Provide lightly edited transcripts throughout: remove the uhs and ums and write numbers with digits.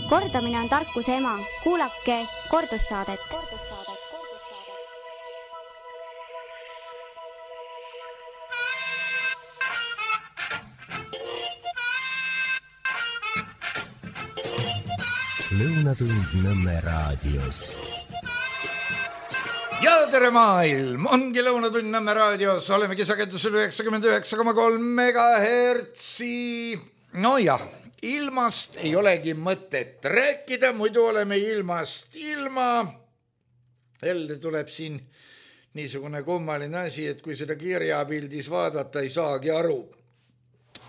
Kordamine on tarkuse ema. Kuulake kordussaadet. Lõunatund Nõmme raadios. Ja tere maailm, ongi Lõunatund Nõmme raadios, olemegi sagedusel 99,3 megahertsi. No jah, ilmast ei olegi mõtet rääkida, muidu oleme ilmast ilma. Jälle tuleb siin niisugune kummaline asi, et kui seda kirjapildis vaadata, ei saagi aru,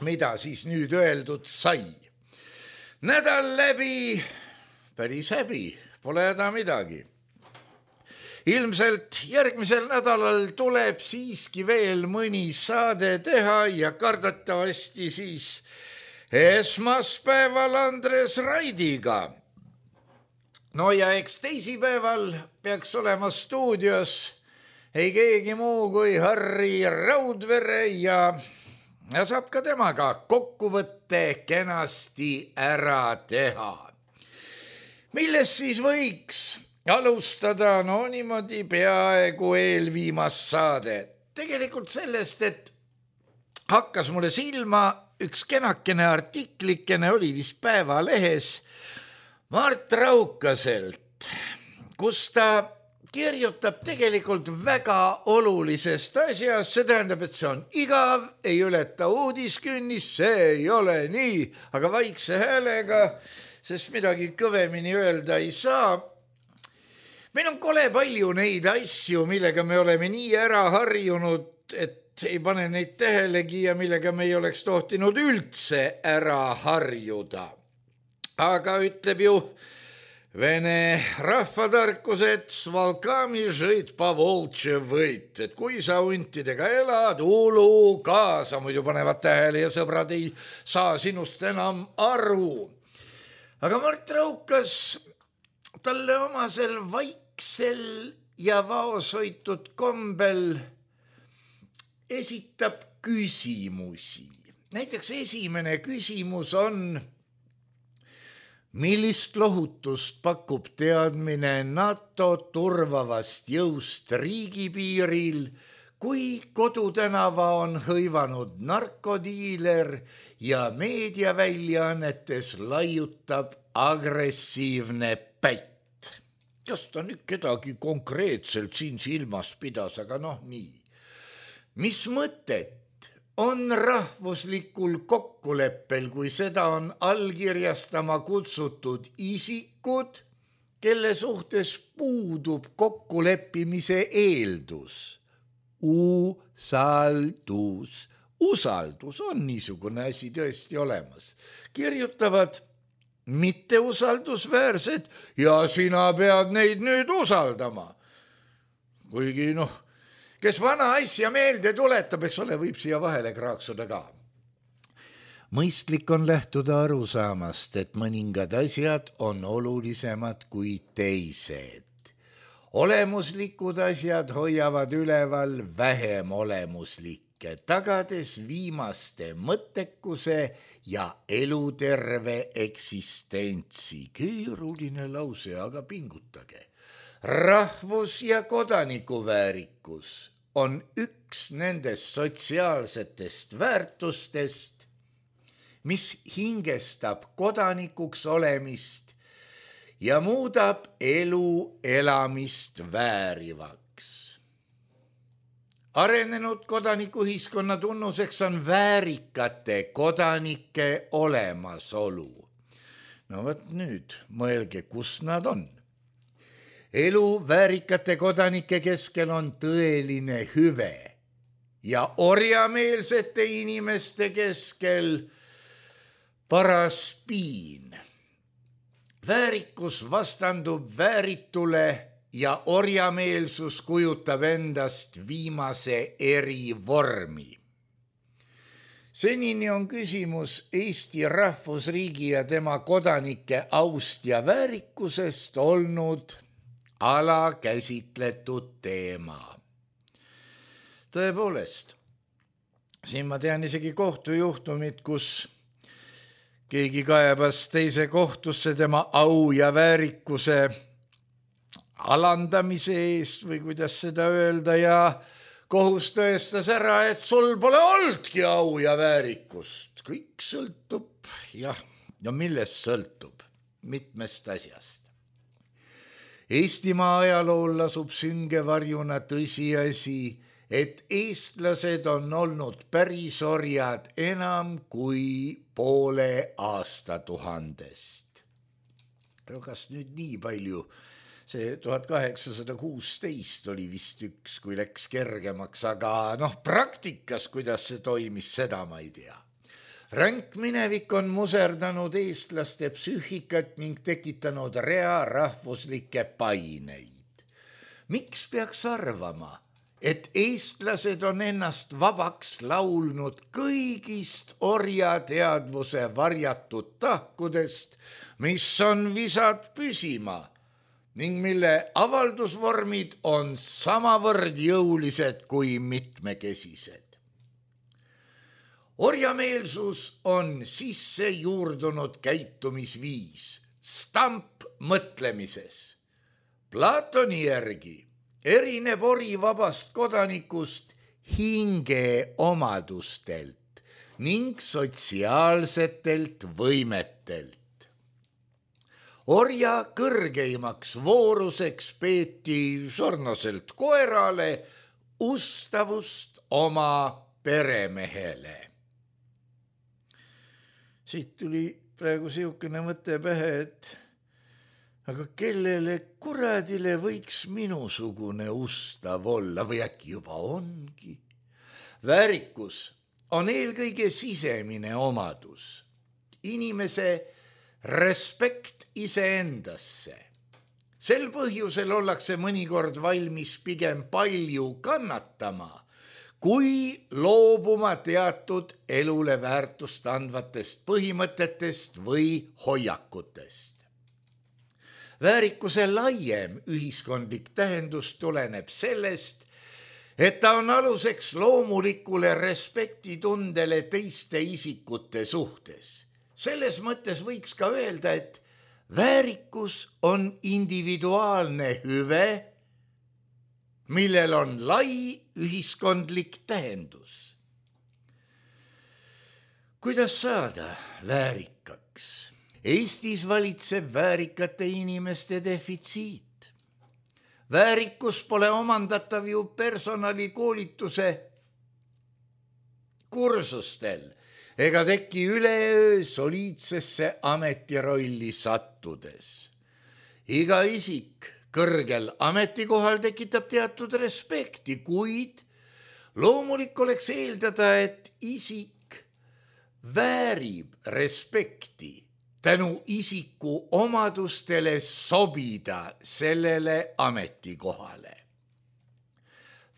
mida siis nüüd öeldud sai. Nädal läbi, päris häbi, pole häda midagi. Ilmselt järgmisel nädalal tuleb siiski veel mõni saade teha ja kardatavasti siis esmaspäeval Andres Raidiga. No ja eks teisipäeval peaks olema stuudios ei keegi muu kui Harri Raudvere ja saab ka temaga kokkuvõtte kenasti ära teha. Millest siis võiks alustada, no niimoodi peaaegu eelviimast saade. Tegelikult sellest, et hakkas mulle silma üks kenakene artiklikene, oli vist Päevalehes Mart Raukaselt, kus ta kirjutab tegelikult väga olulisest asjast, see tähendab, et see on igav, ei ületa uudiskünnis, see ei ole nii, aga vaikse häälega, sest midagi kõvemini öelda ei saa. Meil on kole palju neid asju, millega me oleme nii ära harjunud, et ei pane neid tähelegi ja millega me ei oleks tohtinud üldse ära harjuda. Aga ütleb ju Vene rahvatarkus, et svalkami žõid pa voltše võit, et kui sa huntidega elad, ulu kaasa, muidu panevad tähele ja sõbrad ei saa sinust enam aru. Aga Mart Raukas talle omasel vaiksel ja vaoshoitud kombel esitab küsimusi. Näiteks esimene küsimus on: millist lohutust pakub teadmine NATO turvavast jõust riigipiiril, kui Kodutänava on hõivanud narkodiiler ja meediaväljaannetes laiutab agressiivne pätt? Kas ta nüüd kedagi konkreetselt siin silmas pidas, aga nii. Mis mõtet on rahvuslikul kokkuleppel, kui seda on allkirjastama kutsutud isikud, kelle suhtes puudub kokkuleppimise eeldus? Usaldus on niisugune asi tõesti olemas. Kirjutavad mitteusaldusväärsed ja sina pead neid nüüd usaldama. Kuigi kes vana asja meelde tuletab, eks ole, võib siia vahele kraaksuda ka. Mõistlik on lähtuda arusaamast, et mõningad asjad on olulisemad kui teised. Olemuslikud asjad hoiavad üleval vähem olemuslikke, tagades viimaste mõttekuse ja eluterve eksistentsi. Keeruline lause, aga pingutage. Rahvus- ja kodanikuväärikus on üks nendest sotsiaalsetest väärtustest, mis hingestab kodanikuks olemist ja muudab elu elamist väärivaks. Arenenud kodanikuühiskonna tunnuseks on väärikate kodanike olemasolu. No võt nüüd, mõelge, kus nad on. Elu väärikate kodanike keskel on tõeline hüve ja orjameelsete inimeste keskel paras piin. Väärikus vastandub vääritule ja orjameelsus kujutab endast viimase erivormi. Senini on küsimus Eesti rahvusriigi ja tema kodanike aust ja väärikusest olnud alakäsitletud teema. Tõepoolest, siin ma tean isegi kohtujuhtumit, kus keegi kaebas teise kohtusse tema au ja väärikuse alandamise eest või kuidas seda öelda ja kohus tõestas ära, et sul pole olnudki au ja väärikust. Kõik sõltub, ja millest sõltub? Mitmest asjast. Eestimaa ajalool lasub sünge varjuna tõsiasi, et eestlased on olnud pärisorjad enam kui poole aastatuhandest. Kas nüüd nii palju? See 1816 oli vist üks, kui läks kergemaks, aga praktikas, kuidas see toimis, seda ma ei tea. Ränk minevik on muserdanud eestlaste psüühikat ning tekitanud rea rahvuslikke paineid. Miks peaks arvama, et eestlased on ennast vabaks laulnud kõigist orjateadvuse varjatud tahkudest, mis on visad püsima ning mille avaldusvormid on samavõrd jõulised kui mitmekesised. Orjameelsus on sisse juurdunud käitumisviis, stamp mõtlemises. Platoni järgi erineb ori vabast kodanikust hinge omadustelt ning sotsiaalsetelt võimetelt. Orja kõrgeimaks vooruseks peeti sarnaselt koerale ustavust oma peremehele. Siit tuli praegu siukene mõte pähe, et aga kellele kuradile võiks minusugune ustav olla või äkki juba ongi? Väärikus on eelkõige sisemine omadus, inimese respekt iseendasse. Sel põhjusel ollakse mõnikord valmis pigem palju kannatama, kui loobuma teatud elule väärtust andvatest põhimõtetest või hoiakutest. Väärikuse laiem ühiskondlik tähendus tuleneb sellest, et ta on aluseks loomulikule respektitundele teiste isikute suhtes. Selles mõttes võiks ka öelda, et väärikus on individuaalne hüve, millel on lai ühiskondlik tähendus. Kuidas saada väärikaks? Eestis valitseb väärikate inimeste defitsiit. Väärikus pole omandatav ju personalikoolituse kursustel ega teki üleöö soliidsesse ametirolli sattudes. Iga isik kõrgel ametikohal tekitab teatud respekti, kuid loomulik oleks eeldada, et isik väärib respekti tänu isiku omadustele sobida sellele ametikohale.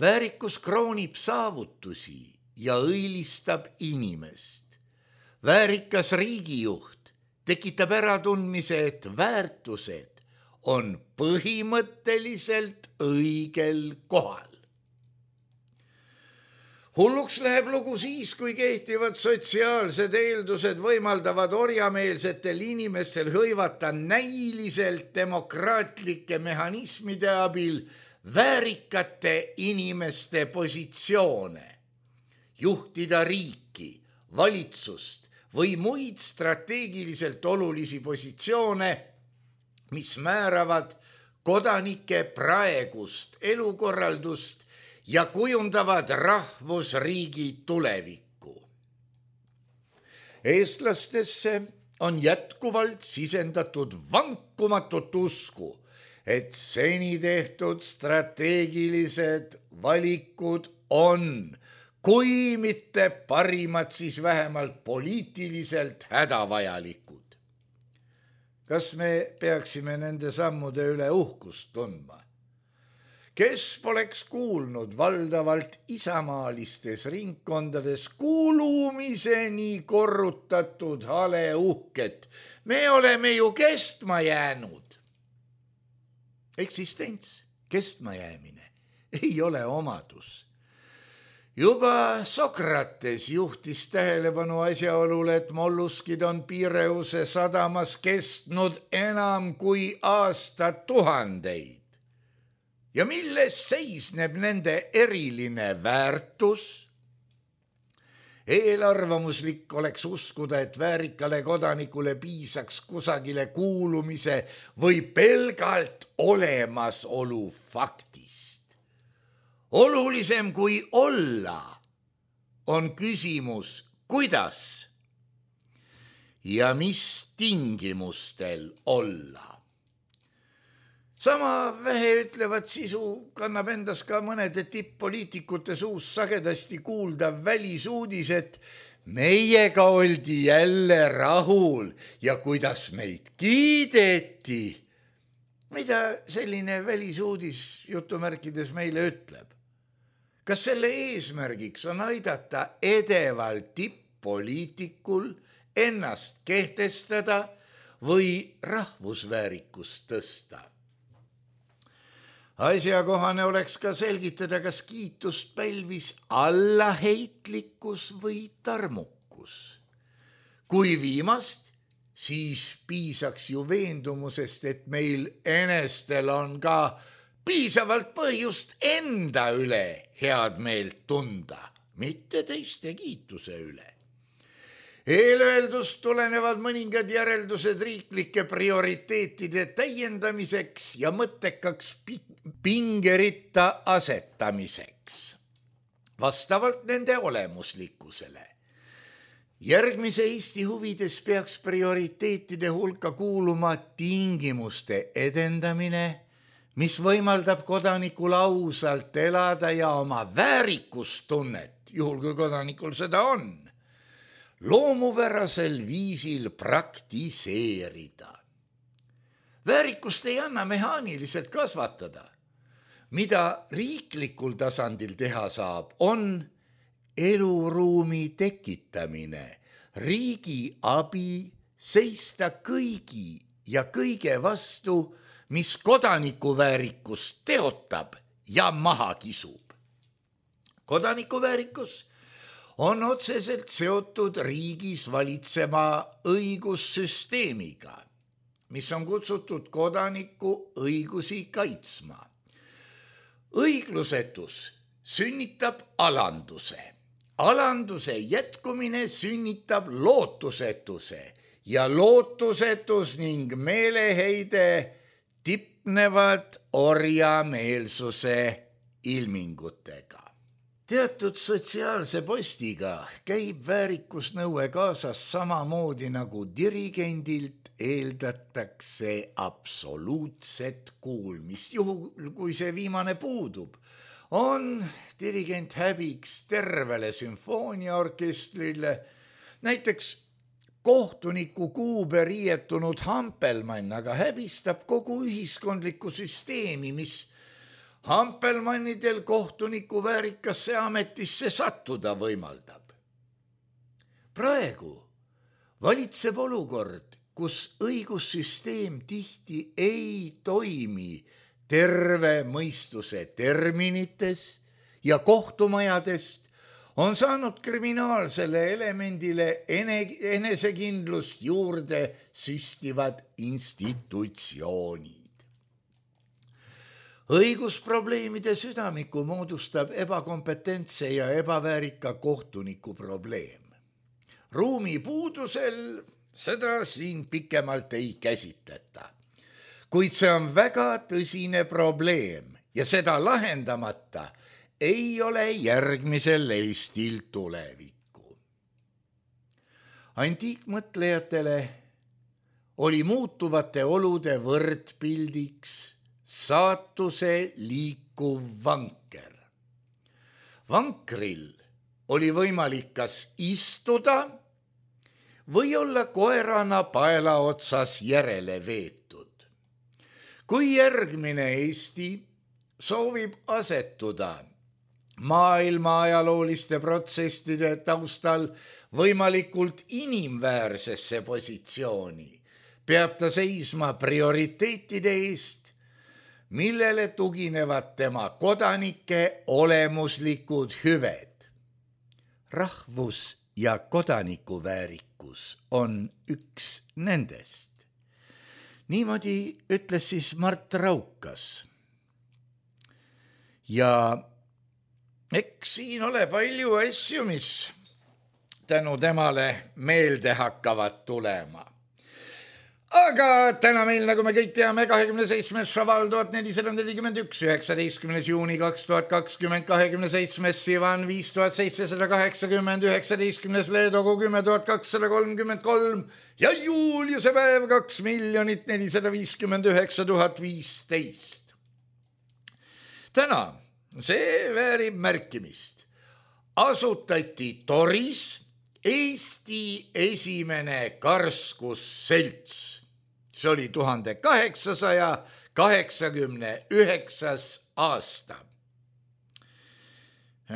Väärikus kroonib saavutusi ja õilistab inimest. Väärikas riigijuht tekitab äratundmise, et väärtused on põhimõtteliselt õigel kohal. Hulluks läheb lugu siis, kui kehtivad sotsiaalsed eeldused võimaldavad orjameelsetel inimestel hõivata näiliselt demokraatlike mehhanismide abil väärikate inimeste positsioone, juhtida riiki, valitsust või muid strateegiliselt olulisi positsioone, mis määravad kodanike praegust elukorraldust ja kujundavad rahvusriigi tulevikku. Eestlastesse on jätkuvalt sisendatud vankumatut usku, et seni tehtud strateegilised valikud on, kui mitte parimad, siis vähemalt poliitiliselt hädavajalikud. Kas me peaksime nende sammude üle uhkust tundma? Kes poleks kuulnud valdavalt isamaalistes ringkondades kuulumiseni korrutatud hale uhket? Me oleme ju kestma jäänud. Eksistents, kestma jäämine ei ole omadus. Juba Sokrates juhtis tähelepanu asjaolule, et molluskid on Pireuse sadamas kestnud enam kui aastatuhandeid. Ja milles seisneb nende eriline väärtus? Eelarvamuslik oleks uskuda, et väärikale kodanikule piisaks kusagile kuulumise või pelgalt olemasolu faktist. Olulisem kui olla on küsimus, kuidas ja mis tingimustel olla. Sama vähe ütlevat sisu kannab endas ka mõnede tipp-poliitikute suus sagedasti kuuldav välisuudis, et meiega oldi jälle rahul ja kuidas meid kiideti. Mida selline välisuudis jutumärkides meile ütleb? Kas selle eesmärgiks on aidata edeval tipp-poliitikul ennast kehtestada või rahvusväärikust tõsta? Asjakohane oleks ka selgitada, kas kiitust pälvis allaheitlikkus või tarmukus. Kui viimast, siis piisaks ju veendumusest, et meil enestel on ka piisavalt põhjust enda üle head meelt tunda, mitte teiste kiituse üle. Eelöeldust tulenevad mõningad järeldused riiklike prioriteetide täiendamiseks ja mõttekaks pingeritta asetamiseks, vastavalt nende olemuslikkusele. Järgmise Eesti huvides peaks prioriteetide hulka kuuluma tingimuste edendamine, mis võimaldab kodanikul ausalt elada ja oma väärikustunnet, juhul kui kodanikul seda on, loomupärasel viisil praktiseerida. Väärikust ei anna mehaaniliselt kasvatada. Mida riiklikul tasandil teha saab, on eluruumi tekitamine, riigi abi seista kõigi ja kõige vastu, mis kodanikuväärikust teotab ja maha kisub. Kodanikuväärikus on otseselt seotud riigis valitsema õigussüsteemiga, mis on kutsutud kodaniku õigusi kaitsma. Õiglusetus sünnitab alanduse. Alanduse jätkumine sünnitab lootusetuse ja lootusetus ning meeleheide tipnevad orjameelsuse ilmingutega. Teatud sotsiaalse postiga käib väärikusnõue kaasas samamoodi nagu dirigendilt eeldatakse absoluutset kuulmist. Juhul, kui see viimane puudub, on dirigent häbiks tervele sümfooniaorkestrile, näiteks kohtuniku kuube riietunud Hampelmann aga häbistab kogu ühiskondlikku süsteemi, mis Hampelmannidel kohtuniku väärikasse ametisse sattuda võimaldab. Praegu valitseb olukord, kus õigussüsteem tihti ei toimi terve mõistuse terminites ja kohtumajadest on saanud kriminaalsele elemendile enesekindlust juurde süstivad institutsioonid. Õigusprobleemide südamiku moodustab ebakompetentse ja ebaväärika kohtuniku probleem. Ruumi puudusel seda siin pikemalt ei käsitleta, kuid see on väga tõsine probleem ja seda lahendamata ei ole järgmisel Eestil tulevikku. Antiikmõtlejatele oli muutuvate olude võrdpildiks saatuse liikuv vanker. Vankril oli võimalik kas istuda või olla koerana paela otsas järele veetud. Kui järgmine Eesti soovib asetuda maailma ajalooliste protsesside taustal võimalikult inimväärsesse positsiooni, peab ta seisma prioriteetide eest, millele tuginevad tema kodanike olemuslikud hüved. rahvus- ja kodanikuväärikus on üks nendest. Niimoodi ütles siis Mart Raukas. Ja eks siin ole palju asju, mis tänu temale meelde hakkavad tulema. Aga täna meil, nagu me kõik teame, 27. šaval 1441, 19. juuni 2020, 27. Sivan 5780, 19. Leedogu 10.233 ja Juliuse päev 2 459 015. Täna, see väärib märkimist, asutati Toris Eesti esimene karskusselts. See oli 1889. aasta.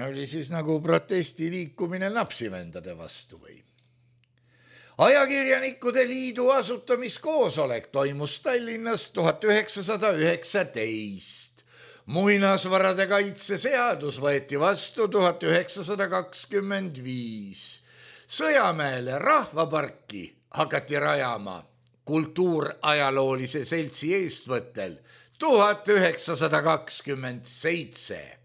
Oli siis nagu protestiliikumine napsivendade vastu või. Ajakirjanikude liidu asutamiskoosolek toimus Tallinnas 1919. Muinasvarade kaitse seadus võeti vastu 1925. Sõjamäele rahvaparki hakati rajama kultuurajaloolise seltsi eestvõttel 1927.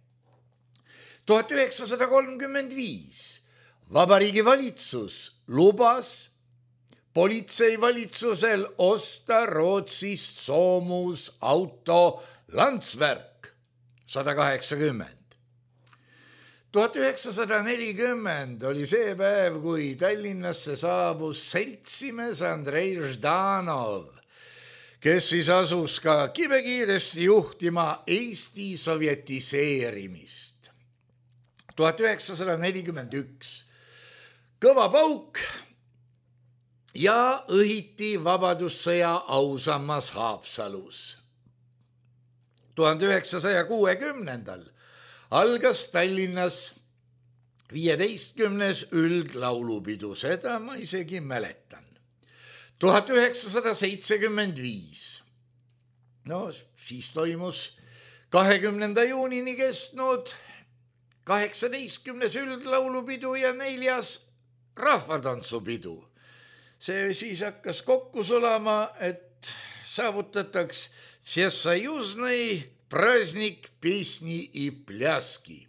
1935 Vabariigi valitsus lubas politseivalitsusel osta Rootsist soomusauto Landsverk 180. 1940 oli see päev, kui Tallinnasse saabus seltsimees Andrei Ždanov, kes siis asus ka kibekiiresti juhtima Eesti sovjetiseerimist. 1941 kõva pauk ja õhiti vabadussõja ausammas Haapsalus. 1960 algas Tallinnas 15. üldlaulupidu, seda ma isegi mäletan. 1975. No siis toimus 20. juunini kestnud 18. üldlaulupidu ja 4. rahvatantsupidu. See siis hakkas kokku sulama, et saavutataks Всесоюзный праздник песни и пляски.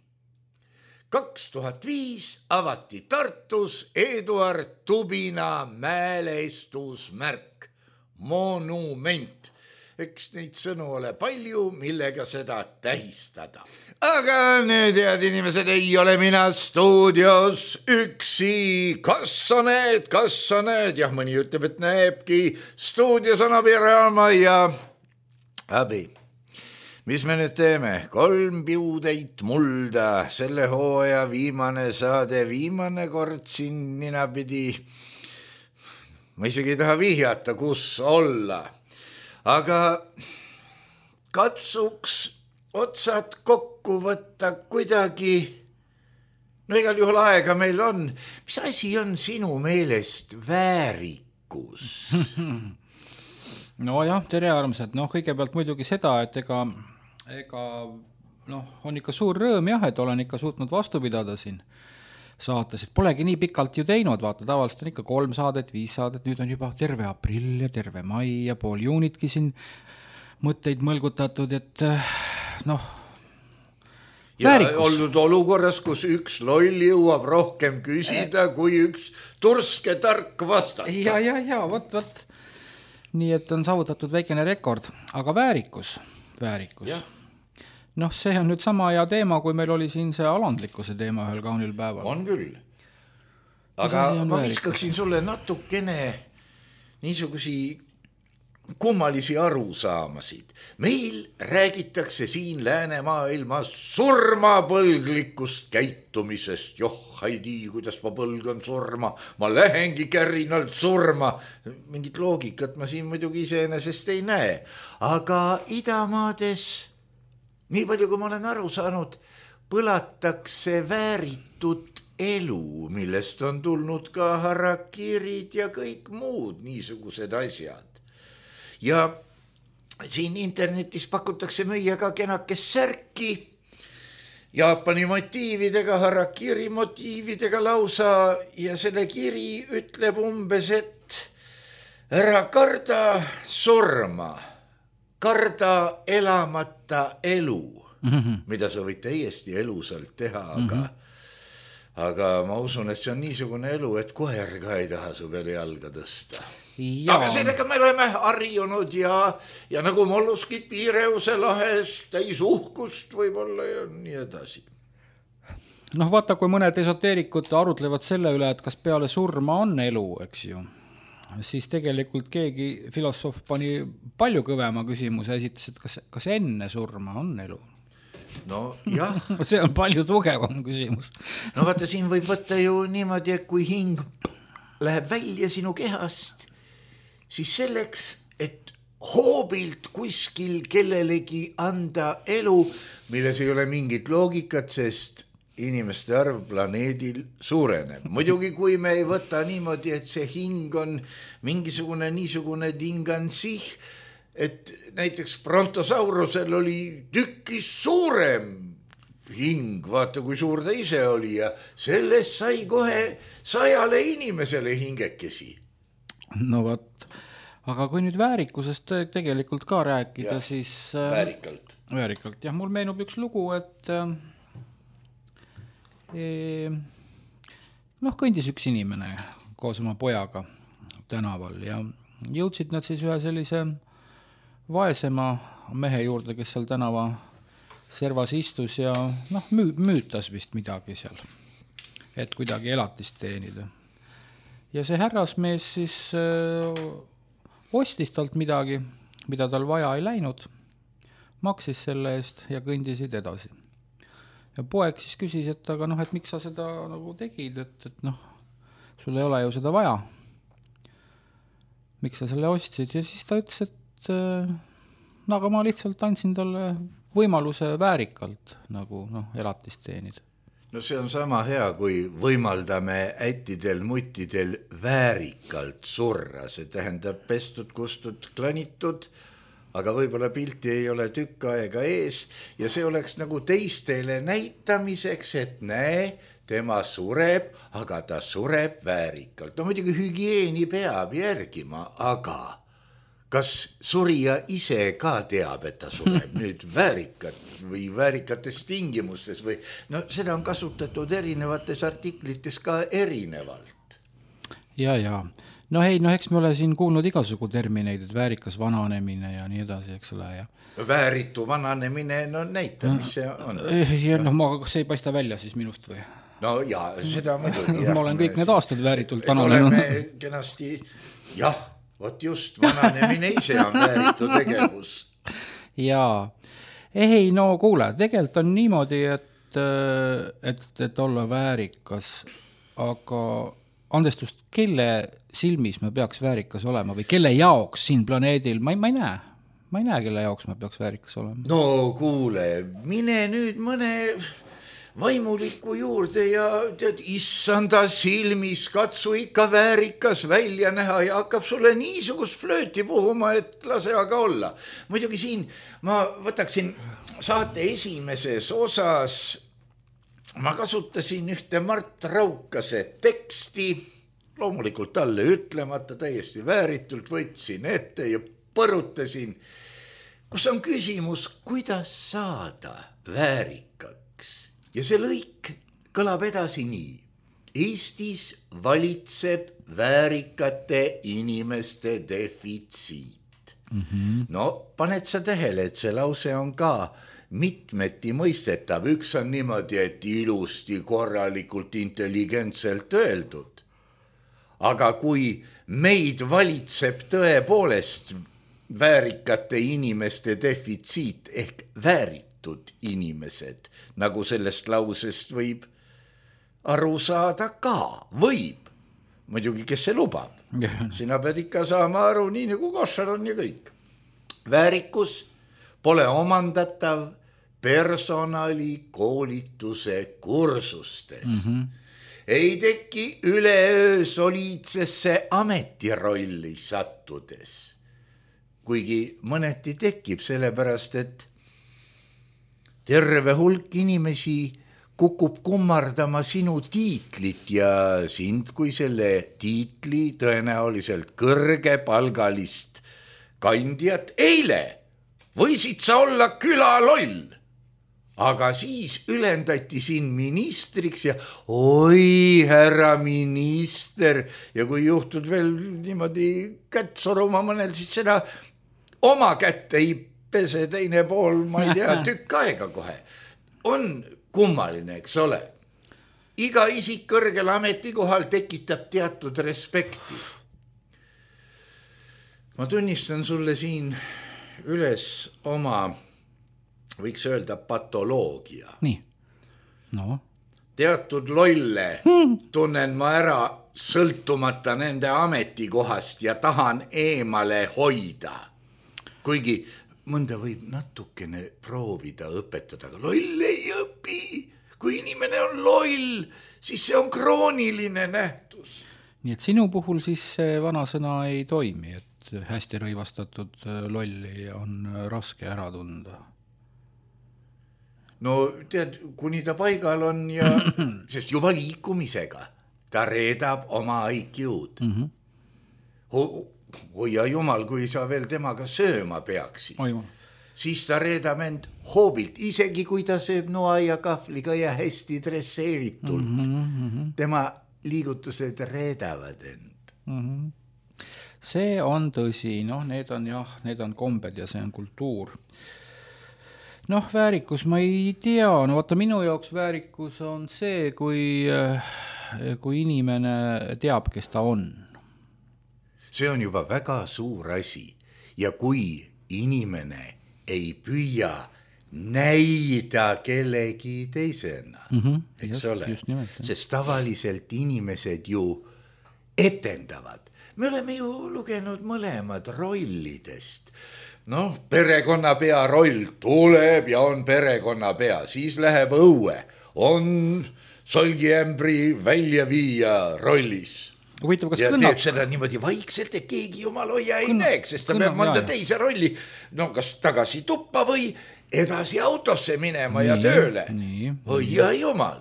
2005 avati Tartus Eduard Tubina mälestusmärk, monument. Eks neid sõnu ole palju, millega seda tähistada. Aga nüüd, head inimesed, ei ole mina stuudios üksi. Kas sa näed? Jah, mõni ütleb, et näebki. Stuudios on abiraama ja abi. Mis me nüüd teeme? 3 piudeid mulda, selle hooaja viimane saade, viimane kord siin ninapidi. Ma isegi ei taha vihjata, kus olla. Aga katsuks otsad kokku võtta kuidagi. No igal juhul aega meil on. Mis asi on sinu meelest väärikus? No jah, tere armsad. Kõigepealt muidugi seda, et ega on ikka suur rõõm jah, et olen ikka suutnud vastu pidada siin saates, et polegi nii pikalt ju teinud, vaata, tavaliselt on ikka 3 saadet, 5 saadet, nüüd on juba terve aprill ja terve mai ja pool juunitki siin mõtteid mõlgutatud, et väärikus. Ja olnud olukorras, kus üks loll jõuab rohkem küsida, kui üks turske tark vastata. Ja, võt. Nii, et on saavutatud väikene rekord, aga väärikus. See on nüüd sama hea teema, kui meil oli siin see alandlikkuse teema ühel kaunil päeval. On küll. Aga ma viskaksin sulle natukene niisugusi kummalisi arusaamasid. Meil räägitakse siin läänemaailmas surmapõlglikust käitumisest. Ei tii, kuidas ma põlgan surma. Ma lähengi kärinalt surma. Mingit loogikat ma siin muidugi iseenesest ei näe. Aga idamaades, nii palju kui ma olen aru saanud, põlatakse vääritud elu, millest on tulnud ka harakirid ja kõik muud niisugused asjad. Ja siin internetis pakutakse müüa ka kenakest särki, Jaapani motiividega, harakiri motiividega lausa ja selle kiri ütleb umbes, et ära karda surma, karda elamata elu, mida sa võid täiesti elusalt teha, aga ma usun, et see on niisugune elu, et koer ka ei taha su peale jalga tõsta. Aga sellega me oleme harjunud ja nagu molluskid Piireuse lahes täis uhkust võib-olla ja nii edasi. Noh, vaata, kui mõned esoteerikud arutlevad selle üle, et kas peale surma on elu, eks ju, siis tegelikult keegi filosoof pani palju kõvema küsimuse, esitas, et kas enne surma on elu? No jah. See on palju tugevam küsimus. No vaata, siin võib võtta ju niimoodi, et kui hing läheb välja sinu kehast, siis selleks, et hoobilt kuskil kellelegi anda elu, milles ei ole mingit loogikat, sest inimeste arv planeedil suureneb. Muidugi, kui me ei võta niimoodi, et see hing on mingisugune niisugune dingansih, et näiteks Brontosaurusel oli tükis suurem hing, vaata kui suur ta ise oli ja sellest sai kohe 100 inimesele hingekesi. No võt, aga kui nüüd väärikusest tegelikult ka rääkida, siis... Väärikalt, jah, mul meenub üks lugu, et kõndis üks inimene koos oma pojaga tänaval ja jõudsid nad siis ühe sellise vaesema mehe juurde, kes seal tänava servas istus ja müütas vist midagi seal, et kuidagi elatist teenida. Ja see härrasmees siis ostis talt midagi, mida tal vaja ei läinud, maksis selle eest ja kõndisid edasi. Ja poeg siis küsis, et aga et miks sa seda nagu tegid, et sul ei ole ju seda vaja. Miks sa selle ostsid? Ja siis ta ütles, et aga ma lihtsalt andsin talle võimaluse väärikalt nagu elatist teenida. No see on sama hea, kui võimaldame ättidel, muttidel väärikalt surra. See tähendab pestud, kustud, klanitud, aga võib-olla pilti ei ole tükk aega ees ja see oleks nagu teistele näitamiseks, et näe, tema sureb, aga ta sureb väärikalt. No muidugi hügieeni peab järgima, aga kas surija ise ka teab, et ta sureb nüüd väärikat või väärikates tingimustes või seda on kasutatud erinevates artiklites ka erinevalt. Ja. Eks me ole siin kuulnud igasugu termineid, et väärikas vananemine ja nii edasi, eks ole. Ja. Vääritu vananemine, näita, mis see on. Ja kas see ei paista välja siis minust või? No ja, seda muidugi. Ma olen kõik need aastad vääritult vananenud. Oleme kenasti, jah. Vot just, vananemine ise on vääritu tegevus. Jaa. Ei, kuule, tegelikult on niimoodi, et olla väärikas, aga andestust, kelle silmis me peaks väärikas olema või kelle jaoks siin planeedil, ma ei näe. Ma ei näe, kelle jaoks me peaks väärikas olema. No kuule, mine nüüd mõne vaimuliku juurde ja tead, issanda silmis katsu ikka väärikas välja näha ja hakkab sulle niisugust flööti puhuma, et lase aga olla. Muidugi siin ma võtaksin saate esimeses osas, ma kasutasin ühte Mart Raukase teksti, loomulikult talle ütlemata, täiesti vääritult võtsin ette ja põrutasin, kus on küsimus, kuidas saada väärikaks. Ja see lõik kõlab edasi nii. Eestis valitseb väärikate inimeste defitsiit. No, paned sa tähele, et see lause on ka mitmeti mõistetav. Üks on niimoodi, et ilusti, korralikult, intelligentselt öeldud. Aga kui meid valitseb tõepoolest väärikate inimeste defitsiit ehk vääritud inimesed, nagu sellest lausest võib aru saada ka, võib. Muidugi, kes see lubab. Sina pead ikka saama aru, nii nagu košar on ja kõik. Väärikus pole omandatav personali koolituse kursustes. Ei teki üleöö soliidsesse ametirolli sattudes. Kuigi mõneti tekib sellepärast, et terve hulk inimesi kukub kummardama sinu tiitlit ja sind kui selle tiitli tõenäoliselt kõrgepalgalist kandjat eile võisid sa olla külaloll, aga siis ülendati sind ministriks ja oi, härra minister, ja kui juhtud veel niimoodi kätt soruma mõnel, siis seda oma kätt ei pese teine pool, ma ei tea, tükk aega kohe. On kummaline, eks ole. Iga isik kõrgel ametikohal tekitab teatud respekti. Ma tunnistan sulle siin üles oma, võiks öelda, patoloogia. Nii, no. Teatud lolle tunnen ma ära sõltumata nende ametikohast ja tahan eemale hoida. Kuigi mõnda võib natukene proovida õpetada, aga loll ei õpi. Kui inimene on loll, siis see on krooniline nähtus. Nii et sinu puhul siis see vanasõna ei toimi, et hästi rõivastatud lolli on raske ära tunda. No tead, kuni ta paigal on ja sest juba liikumisega ta reedab oma IQ-d. Hoia jumal, kui sa veel temaga sööma peaksid, siis ta reedab end hoobilt, isegi kui ta sööb noa ja kahvliga ja hästi dresseeritult. Tema liigutused reedavad end. See on tõsi, need on kombed ja see on kultuur. Väärikus ma ei tea, vaata minu jaoks väärikus on see, kui inimene teab, kes ta on. See on juba väga suur asi ja kui inimene ei püüa näida kellegi teisena, eks ole, sest tavaliselt inimesed ju etendavad. Me oleme ju lugenud mõlemad rollidest. Perekonnapea roll tuleb ja on perekonnapea, siis läheb õue, on solgiämbri välja viia rollis. Ja teeb seda niimoodi vaikselt, et keegi jumal hoia ei näeks, sest ta peab mõnda teise rolli, kas tagasi tuppa või edasi autosse minema ja tööle. Hoia jumal.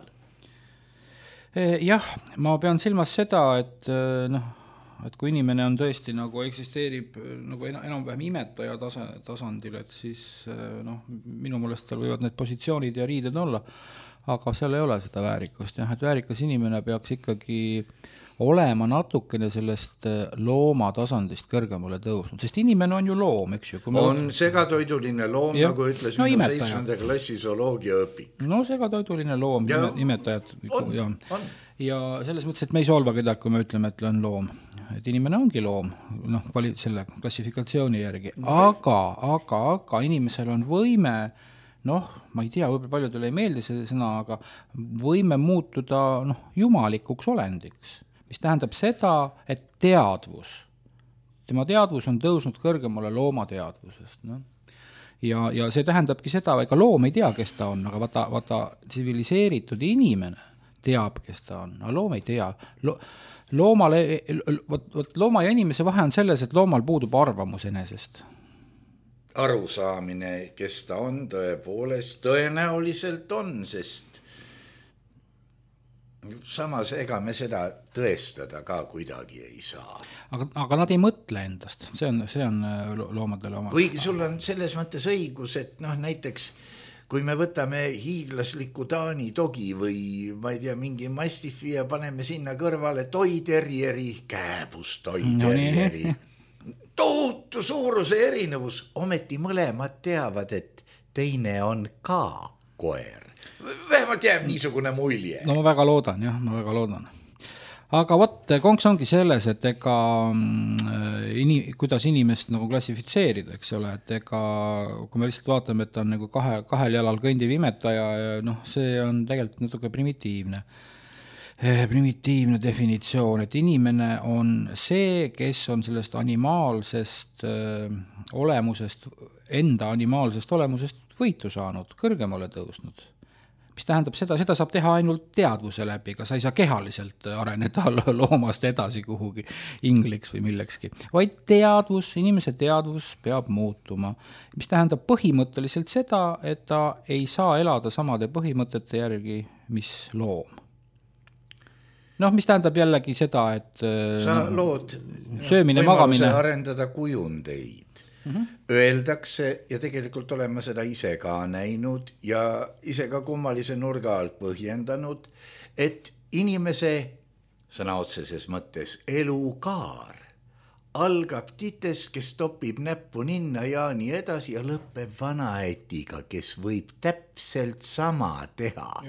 Jah, ma pean silmas seda, et kui inimene on tõesti nagu eksisteerib nagu enam-vähem imetaja tasandil, et siis minu meelest tal võivad need positsioonid ja riided olla, aga seal ei ole seda väärikust. Et väärikas inimene peaks ikkagi olema natukene sellest looma tasandist kõrgemale tõusnud, sest inimene on ju loom, eks ju. On segatoiduline loom, nagu ütles minu 7. klassi zooloogia õpik. Segatoiduline loom, imetajad. Ja selles mõttes, et me ei solva kedagi, kui me ütleme, et on loom. Et inimene ongi loom, selle klassifikatsiooni järgi. Aga inimesel on võime, ma ei tea, võib-olla paljudele ei meeldi see sõna, aga võime muutuda jumalikuks olendiks. Mis tähendab seda, et tema teadvus on tõusnud kõrgemale looma teadvusest. Ja see tähendabki seda, ega loom ei tea, kes ta on, aga vaata tsiviliseeritud inimene teab, kes ta on, aga loom ei tea. Looma ja inimese vahe on selles, et loomal puudub arvamus enesest. Arusaamine, kes ta on, tõepoolest tõenäoliselt on, sest samas ega me seda tõestada ka kuidagi ei saa. Aga nad ei mõtle endast, see on loomadele oma. Kuigi sul on selles mõttes õigus, et näiteks kui me võtame hiiglasliku Taani dogi või ma ei tea, mingi mastifi ja paneme sinna kõrvale toiterjeri, kääbust toiterjeri, tohutu suuruse erinevus, ometi mõlemad teavad, et teine on ka koer. Vähemalt jääb niisugune mulje. Ma väga loodan. Aga konks ongi selles, et kuidas inimest nagu klassifitseerida, eks ole, et kui me lihtsalt vaatame, et on nagu kahel jalal kõndiv imetaja, see on tegelikult natuke primitiivne definitsioon, et inimene on see, kes on sellest animaalsest olemusest, enda animaalsest olemusest võitu saanud, kõrgemale tõusnud. mis tähendab seda saab teha ainult teadvuse läbi, ega sa ei saa kehaliselt areneda loomast edasi kuhugi ingliks või millekski, vaid teadvus, inimese teadvus peab muutuma, mis tähendab põhimõtteliselt seda, et ta ei saa elada samade põhimõtete järgi, mis loom. Noh, mis tähendab jällegi seda, et sa lood söömine, magamine arendada kujundeid. Öeldakse ja tegelikult oleme seda ise ka näinud ja ise ka kummalise nurga alt põhjendanud, et inimese sõna otseses mõttes elukaar algab titest, kes topib näppu ninna ja nii edasi ja lõpeb vanaetiga, kes võib täpselt sama teha.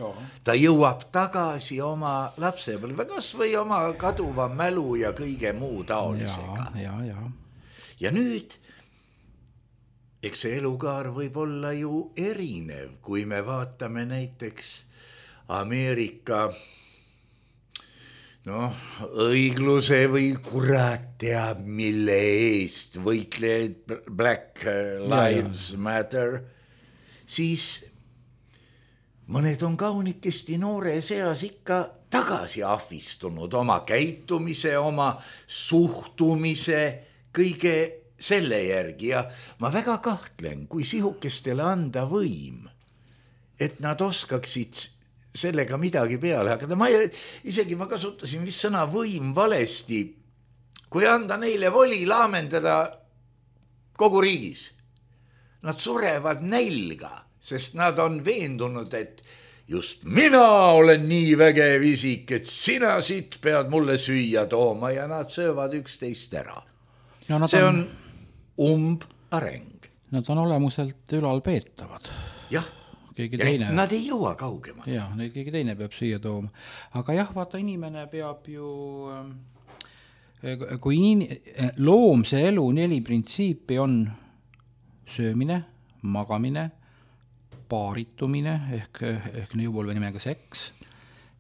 Ta jõuab tagasi oma lapsepõlve, kas või oma kaduva mälu ja kõige muu taolisega. Ja nüüd eks see elukaar võib olla ju erinev, kui me vaatame näiteks Ameerika õigluse või kurat teab mille eest võitlejaid Black Lives Matter, siis mõned on kaunikesti noore seas ikka tagasi ahvistunud oma käitumise, oma suhtumise, kõige selle järgi ja ma väga kahtlen, kui sihukestele anda võim, et nad oskaksid sellega midagi peale hakata. Isegi ma kasutasin vist sõna võim valesti, kui anda neile voli laamendada kogu riigis. Nad surevad nälga, sest nad on veendunud, et just mina olen nii vägev isik, et sina siit pead mulle süüa tooma ja nad söövad üksteist ära. See on areng. Nad on olemuselt ülalpeetavad. Jah, nad ei jõua kaugema. Jah, neid keegi teine peab süüa tooma. Aga jah, vaata, inimene peab ju, kui loomse elu 4 printsiipi on söömine, magamine, paaritumine ehk nõupolve nimega seks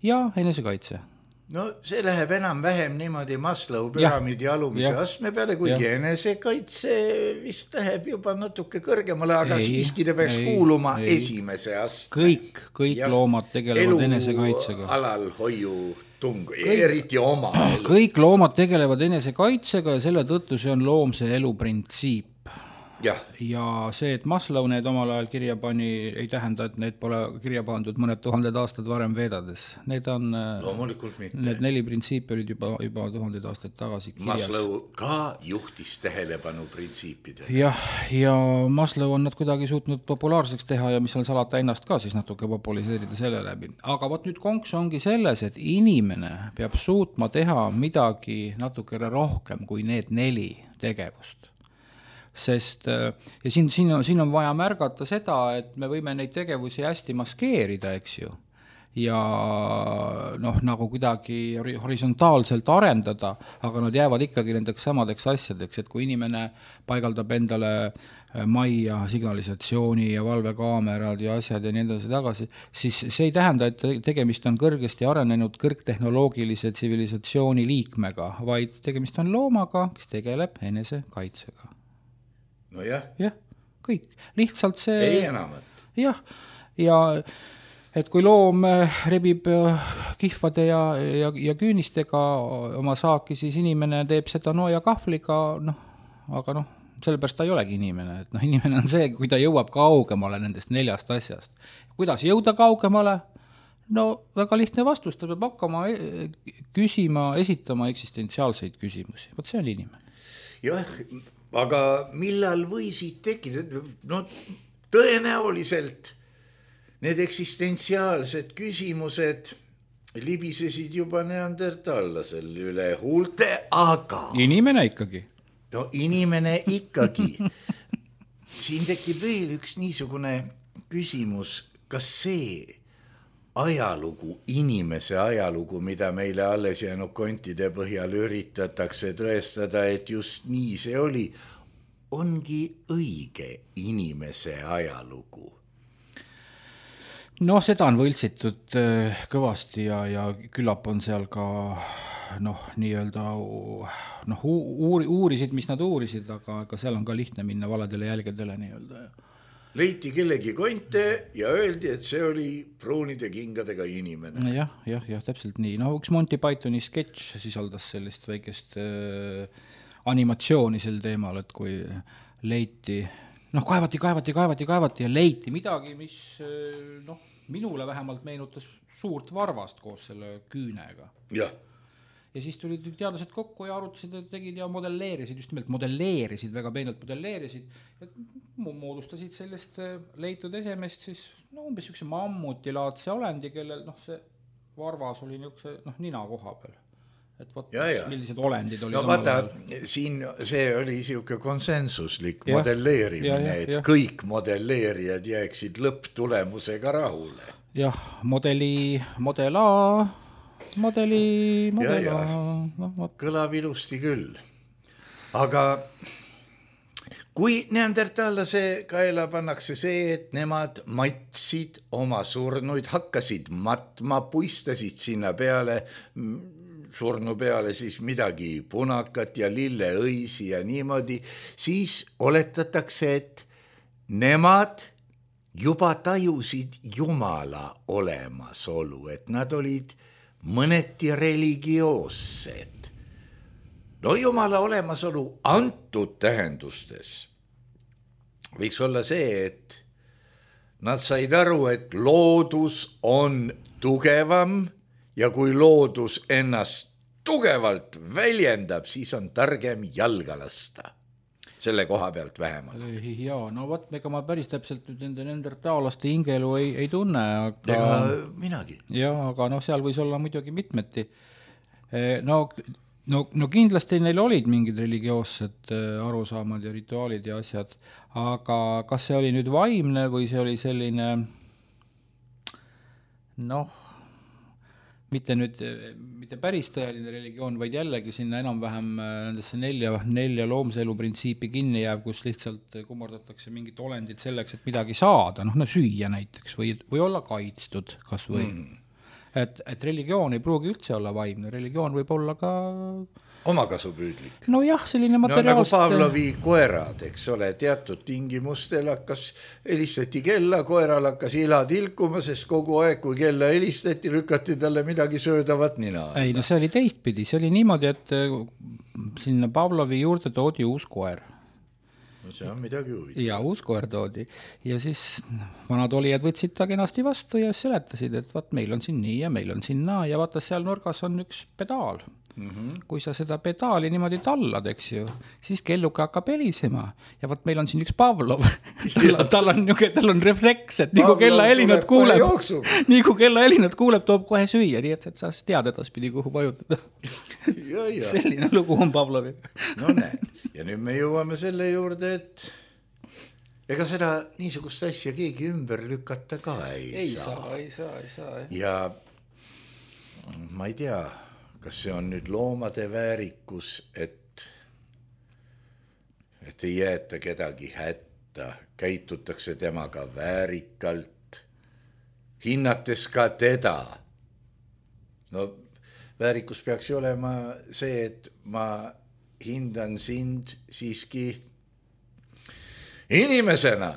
ja enesekaitse. No see läheb enam-vähem niimoodi Maslow püramiidi alumise astme peale, kuigi enesekaitse vist läheb juba natuke kõrgemale, aga siiski ta peaks kuuluma esimese astme. Kõik loomad tegelevad enesekaitsega. Alal hoiu tung, eriti oma. Kõik loomad tegelevad enesekaitsega ja selle tõttu see on loomse elu printsiip. Ja see, et Maslow need omal ajal kirja pani, ei tähenda, et need pole kirja pandud mõned 1000 aastad varem Vedades. Need on, need 4 printsiipi olid juba 1000 aastaid tagasi kirjas. Maslow ka juhtis tähelepanu printsiipidele. Ja Maslow on nad kuidagi suutnud populaarseks teha ja mis on salata ennast ka siis natuke populiseerida selle läbi. Aga võt nüüd konks ongi selles, et inimene peab suutma teha midagi natukene rohkem kui need 4 tegevust. Sest ja siin on vaja märgata seda, et me võime neid tegevusi hästi maskeerida, eks ju, ja nagu kuidagi horisontaalselt arendada, aga nad jäävad ikkagi nendeks samadeks asjadeks, et kui inimene paigaldab endale majja signalisatsiooni ja valvekaamerad ja asjad ja nii edasi tagasi, siis see ei tähenda, et tegemist on kõrgesti arenenud kõrgtehnoloogilise tsivilisatsiooni liikmega, vaid tegemist on loomaga, kes tegeleb enesekaitsega. No jah, kõik. Lihtsalt see... Ei enamat. Ja et kui loom rebib kihvade ja küünistega oma saaki, siis inimene teeb seda ja kahvliga, aga sellepärast ta ei olegi inimene. Et inimene on see, kui ta jõuab kaugemale nendest 4 asjast. Kuidas jõuda kaugemale? Väga lihtne vastus, ta peab hakkama esitama eksistentsiaalseid küsimusi. Vot see on inimene. Jah, aga millal võisid tekkida? Tõenäoliselt need eksistentsiaalsed küsimused libisesid juba neandertallasel üle huulte, aga... Inimene ikkagi. Inimene ikkagi. Siin tekib veel üks niisugune küsimus, kas see ajalugu, inimese ajalugu, mida meile alles jäänud kontide põhjal üritatakse tõestada, et just nii see oli, ongi õige inimese ajalugu? Seda on võltsitud kõvasti ja küllap on seal ka nii-öelda uurisid, mis nad uurisid, aga seal on ka lihtne minna valedele jälgedele nii-öelda. leiti kellegi konte ja öeldi, et see oli pruunide kingadega inimene. Jah, täpselt nii. No üks Monty Pythoni sketš sisaldas sellist väikest animatsiooni sel teemal, et kui leiti, kaevati ja leiti midagi, mis minule vähemalt meenutas suurt varvast koos selle küünega. Jah. Ja siis tulid teadlased kokku ja arutasid, tegid ja modelleerisid, just nimelt modelleerisid, väga peenelt modelleerisid ja moodustasid sellest leitud esemest siis umbes üks mammutilaadse olendi, kellel see varvas oli niisuguse nina koha peal. Et võt, millised olendid olid. No vaata, siin see oli niisugune konsensuslik modelleerimine, et kõik modelleerijad jääksid lõpptulemusega rahule. Jah, model A... Kõlab ilusti küll. Aga kui neandertallase kaela pannakse see, et nemad matsid oma surnuid, hakkasid matma, puistasid sinna peale, surnu peale siis midagi punakat ja lilleõisi ja niimoodi, siis oletatakse, et nemad juba tajusid Jumala olemasolu, et nad olid mõneti religioossed. No Jumala olemasolu antud tähendustes võiks olla see, et nad said aru, et loodus on tugevam ja kui loodus ennast tugevalt väljendab, siis on targem jalga lasta. Selle koha pealt vähemalt. Jaa, no võt, ega ma päris täpselt nende neandertaalaste hingelu ei tunne, aga... Ega minagi. Jaa, aga seal võis olla muidugi mitmeti. No kindlasti neil olid mingid religioossed arusaamad ja rituaalid ja asjad, aga kas see oli nüüd vaimne või see oli selline mitte päris tõeline religioon, vaid jällegi sinna enam-vähem nendesse nelja loomse elu printsiipi kinni jääb, kus lihtsalt kummardatakse mingit olendit selleks, et midagi saada, süüa näiteks või olla kaitstud kas või. Et religioon ei pruugi üldse olla vaimne, religioon võib olla ka omakasupüüdlik. No jah, selline materiaalsed... nagu Pavlovi koerad, eks ole, teatud tingimustel helistati kella, koeral hakkas ila tilkuma, sest kogu aeg, kui kella helistati, lükati talle midagi söödavat nina. Ei, see oli teistpidi, see oli niimoodi, et sinna Pavlovi juurde toodi uus koer. No see on midagi huvitav. Ja uus koer toodi. Ja siis vanad olijad võtsid ta kenasti vastu ja seletasid, et meil on siin nii ja meil on siin naa ja vaata seal nurgas on üks pedaal. Kui sa seda pedaali niimoodi tallad, eks ju, siis kelluke hakkab helisema ja meil on siin üks Pavlov. tal on refleks, et nii kui kella helinad kuuleb, toob kohe süüa, nii et sa tead edaspidi, kuhu vajutada. Selline lugu on Pavlovi. No näed, ja nüüd me jõuame selle juurde, et ega seda niisugust asja keegi ümber lükata ka ei saa. Ja ma ei tea, kas see on nüüd loomade väärikus, et ei jäeta kedagi hätta, käitutakse temaga väärikalt, hinnates ka teda. No väärikus peaks ju olema see, et ma hindan sind siiski inimesena.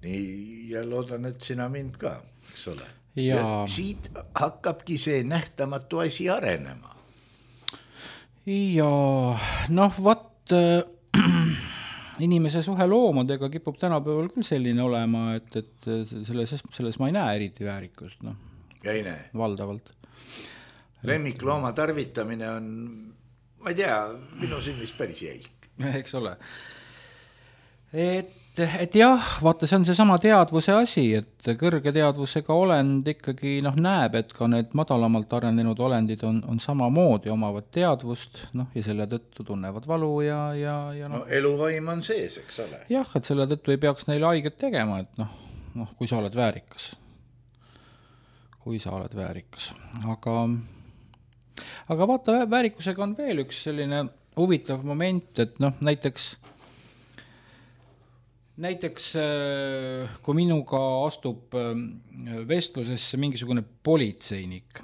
Nii, ja loodan, et sina mind ka, eks ole. Ja siit hakkabki see nähtamatu asi arenema. Ja inimese suhe loomadega kipub tänapäeval küll selline olema, et selles ma ei näe eriti väärikust. Ja ei näe. Valdavalt. Lemmiklooma tarvitamine on, ma ei tea, minu silmis päris jälg. Eks ole. Et jah, vaata, see on see sama teadvuse asi, et kõrge teadvusega olend ikkagi näeb, et ka need madalamalt arenenud olendid on samamoodi omavad teadvust, ja selle tõttu tunnevad valu ja eluvaim on sees, eks ole. Jah, et selle tõttu ei peaks neile haiget tegema, et kui sa oled väärikas. Aga vaata, väärikusega on veel üks selline huvitav moment, et näiteks kui minuga astub vestlusesse mingisugune politseinik,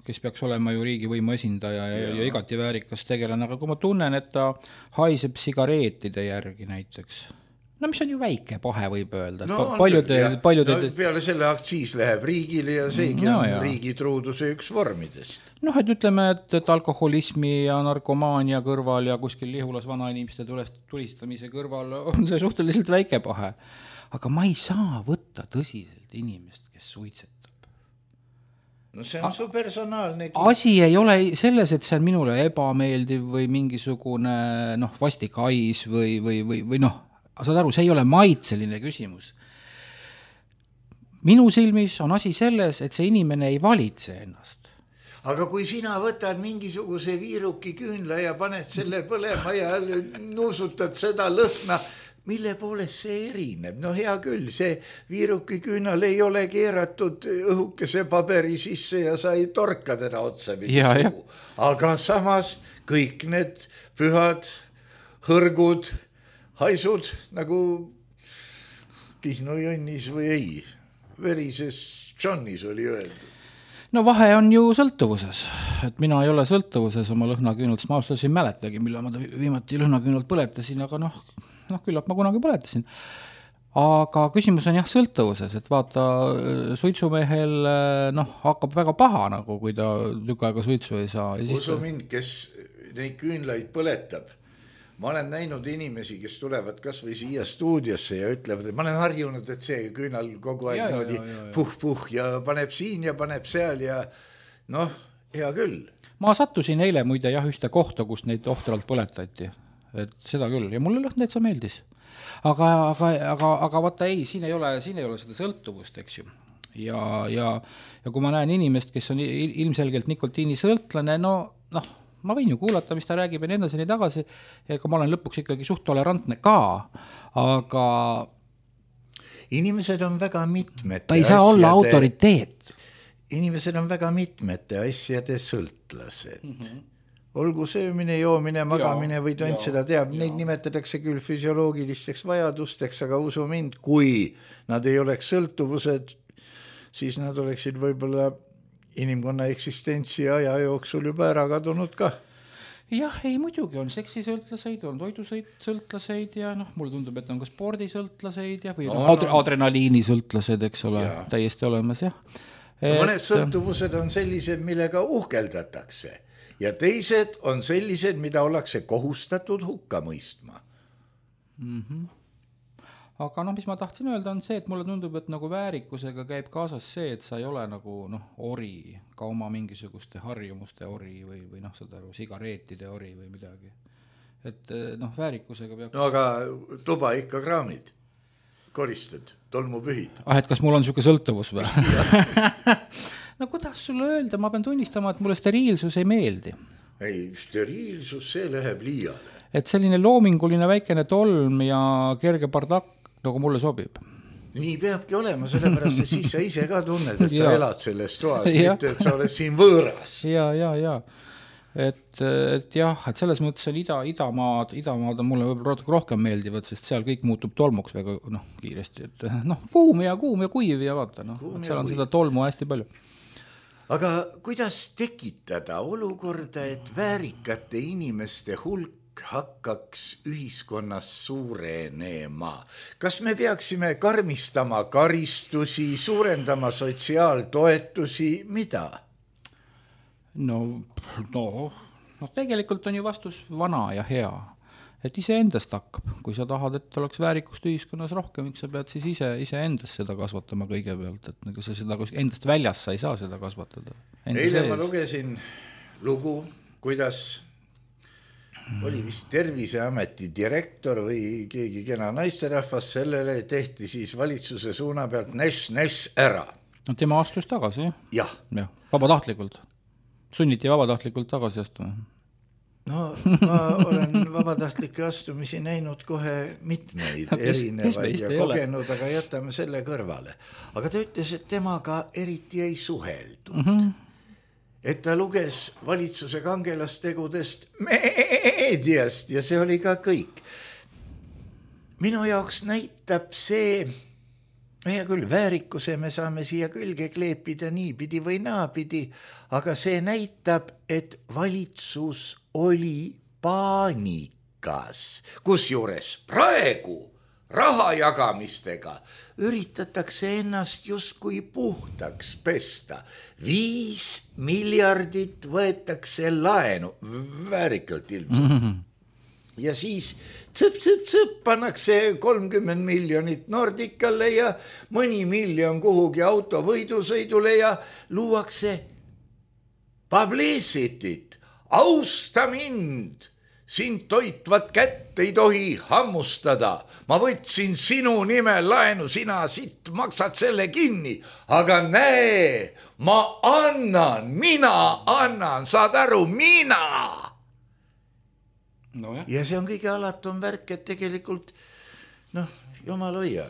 kes peaks olema ju riigivõimu esindaja ja igati väärikas tegelane, aga kui ma tunnen, et ta haiseb sigareetide järgi näiteks, no mis on ju väike pahe, võib öelda. No, peale selle aktsiis läheb riigile ja seegi on riigi truuduse üks vormidest. Noh, et ütleme, et alkoholismi ja narkomaania kõrval ja kuskil Lihulas vanainimeste tulistamise kõrval on see suhteliselt väike pahe. Aga ma ei saa võtta tõsiselt inimest, kes suitsetab. No see on su personaalne asi ei ole selles, et see on minule ebameeldiv või mingisugune vastik hais või saad aru, see ei ole maitseline küsimus. Minu silmis on asi selles, et see inimene ei valitse ennast. Aga kui sina võtad mingisuguse viiruki küünla ja paned selle põlema ja nuusutad seda lõhna, mille poolest see erineb? No hea küll, see viiruki küünal ei ole keeratud õhukese paberi sisse ja sa ei torka teda otsa. Aga samas kõik need pühad hõrgud, haisud nagu Kihnu Jonnis või ei, verises Johnis oli öeldud. No vahe on ju sõltuvuses, et mina ei ole sõltuvuses oma lõhnaküünalt, sest ma ausalt ei mäletagi, millal ma viimati lõhnaküünalt põletasin, aga küllap ma kunagi põletasin. Aga küsimus on sõltuvuses, et vaata, suitsumehel hakkab väga paha, kui ta tükk aega suitsu ei saa. Usu mind, kes neid küünlaid põletab. Ma olen näinud inimesi, kes tulevad kas või siia stuudiosse ja ütlevad, et ma olen harjunud, et see küünal kogu aeg puh ja paneb siin ja paneb seal ja hea küll. Ma sattusin eile muide ühte kohta, kus neid ohtralt põletati. Et seda küll ja mulle lõhn täitsa meeldis. Aga vaata ei, siin ei ole seda sõltuvust, eks ju. Ja kui ma näen inimest, kes on ilmselgelt nikotiini sõltlane, ma võin ju kuulata, mis ta räägib ja nii edasi nii tagasi, ega ma olen lõpuks ikkagi suht tolerantne ka, aga inimesed on väga mitmete ta ei saa olla autoriteet. Inimesed on väga mitmete asjade sõltlased. Olgu söömine, joomine, magamine või tont seda teab, neid nimetatakse küll füsioloogilisteks vajadusteks, aga usu mind, kui nad ei oleks sõltuvused, siis nad oleksid võib-olla inimkonna eksistentsi aja jooksul juba ära kadunud ka. Jah, ei muidugi on seksisõltlaseid, on toidusõltlaseid ja mulle tundub, et on ka spordisõltlaseid ja või adrenaliinisõltlased, eks ole, täiesti olemas, jah. Mõned sõltuvused on sellised, millega uhkeldatakse ja teised on sellised, mida ollakse kohustatud hukka mõistma. Aga mis ma tahtsin öelda on see, et mulle tundub, et väärikusega käib kaasas see, et sa ei ole ori, ka oma mingisuguste harjumuste ori või seda sigareetide ori või midagi. Et väärikusega peaks... No aga tuba ikka kraamid, koristad, tolmupühid. Et kas mul on siuke sõltuvus või? No kuidas sulle öelda, ma pean tunnistama, et mulle steriilsus ei meeldi. Ei, steriilsus, see läheb liiale. Et selline loominguline väikene tolm ja kerge bardakk nagu mulle sobib. Nii peabki olema, sellepärast, et siis sa ise ka tunned, et sa elad selles toas, mitte et sa oled siin võõras. Ja. Et selles mõttes on idamaad on mulle rohkem meeldivad, sest seal kõik muutub tolmuks väga kiiresti. Et, kuum ja kuiv ja vaata, et seal on seda tolmu hästi palju. Aga kuidas tekitada olukorda, et väärikate inimeste hulk hakkaks ühiskonnas suurenema? Kas me peaksime karmistama karistusi, suurendama sotsiaaltoetusi, mida? No, tegelikult on ju vastus vana ja hea. Et ise endast hakkab. Kui sa tahad, et oleks väärikust ühiskonnas rohkem, sa pead siis ise endast seda kasvatama kõigepealt. Et sa seda endast väljas sa ei saa seda kasvatada. Eile ma lugesin lugu, kuidas oli vist Terviseameti direktor või keegi kena naisterahvas, sellele tehti siis valitsuse suuna pealt näš ära. No tema astus tagasi, jah? Jah, vabatahtlikult. Sunniti vabatahtlikult tagasi astuma. No, ma olen vabatahtlike astumisi näinud kohe mitmeid erinevaid ja kogenud, aga jätame selle kõrvale. Aga ta ütles, et temaga eriti ei suheldud. Et ta luges valitsuse kangelastegudest meediast ja see oli ka kõik. Minu jaoks näitab see, hea küll, väärikuse me saame siia külge kleepida niipidi või naapidi, aga see näitab, et valitsus oli paanikas, kusjuures praegu raha jagamistega üritatakse ennast justkui puhtaks pesta. 5 miljardit võetakse laenu, väärikalt ilmselt. Ja siis tsõp, pannakse 30 miljonit Nordicale ja mõni miljon kuhugi autovõidusõidule ja luuakse publicityt. Austa mind, sind toitvat kätt ei tohi hammustada. Ma võtsin sinu nimel laenu, sina siit maksad selle kinni. Aga näe, mina annan, saad aru, mina. No, ja see on kõige alatum värk, et tegelikult, jumal hoia,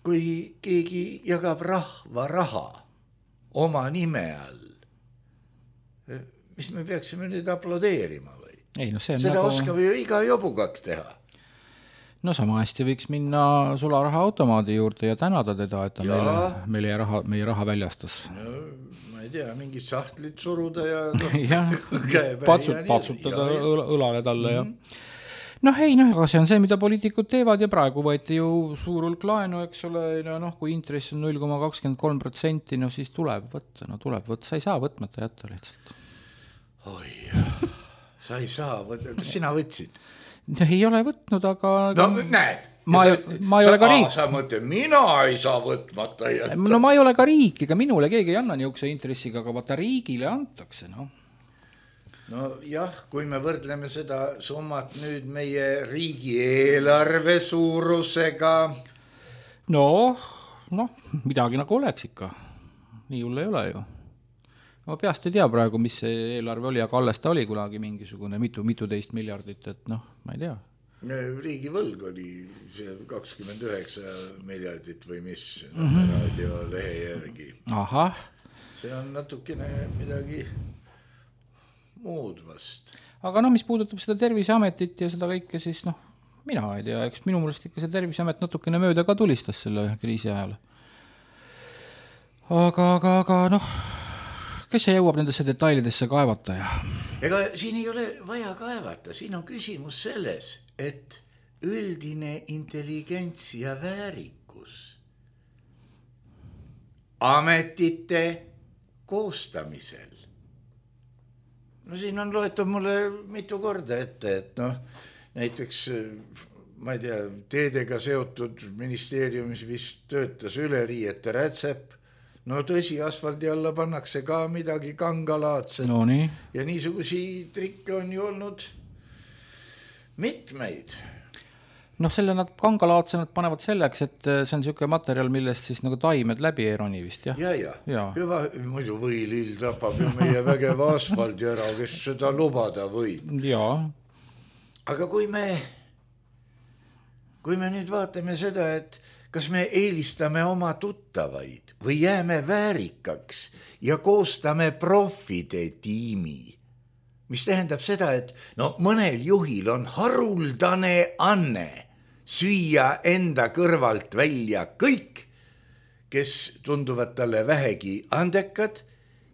kui keegi jagab rahva raha oma nime all, mis me peaksime nüüd aplodeerima või? Ei, see on seda oskab ju iga jobukak teha. No sama hästi võiks minna sularaha automaadi juurde ja tänada teda, et ta meie raha väljastas. No, ma ei tea, mingid sahtlit suruda ja patsutada õlale talle. Aga see on see, mida poliitikud teevad ja praegu võeti ju suur hulk laenu, eks ole, kui intress on 0,23%, siis tuleb võtta, sa ei saa võtmata jätta lihtsalt. Oi, sa ei saa võtta, kas sina võtsid? Ei ole võtnud, aga... No näed. Ma ei ole ka riik. Sa mõtled, mina ei saa võtmata jätta. No ma ei ole ka riik, ega minule keegi ei anna niisuguse intressiga, aga vaata riigile antakse, No jah, kui me võrdleme seda summat nüüd meie riigieelarve suurusega. Midagi nagu oleks ikka. Nii hull ei ole ju. Ma peast ei tea praegu, mis see eelarve oli, aga alles ta oli kunagi mingisugune mituteist miljardit, et ma ei tea. Riigi võlg oli see 29 miljardit või mis raadio lehe järgi. Ahah. See on natukene midagi muud vast. Aga mis puudutab seda Terviseametit ja seda kõike, siis mina ei tea, eks minu mõelest ikka see Terviseamet natukene mööda ka tulistas selle kriisi ajal. Aga kes see jõuab nendesse detailidesse kaevata ja... Ega siin ei ole vaja kaevata, siin on küsimus selles, et üldine intelligents ja väärikus ametite koostamisel. Siin on loetud mulle mitu korda ette, et näiteks, ma ei tea, teedega seotud ministeeriumis vist töötas üleriiete rätsep. Tõsi, asfaldi alla pannakse ka midagi kangalaadset. Ja niisugusi trikke on ju olnud mitmeid. Selle nad kangalaadse nad panevad selleks, et see on niisugune materjal, millest siis nagu taimed läbi ei roni vist, jah? Ja. Muidu võilill tapab ju meie vägeva asfaldi ära, kes seda lubada võib. Jaa. Aga kui me nüüd vaatame seda, et kas me eelistame oma tuttavaid või jääme väärikaks ja koostame profide tiimi, mis tähendab seda, et mõnel juhil on haruldane anne süüa enda kõrvalt välja kõik, kes tunduvad talle vähegi andekad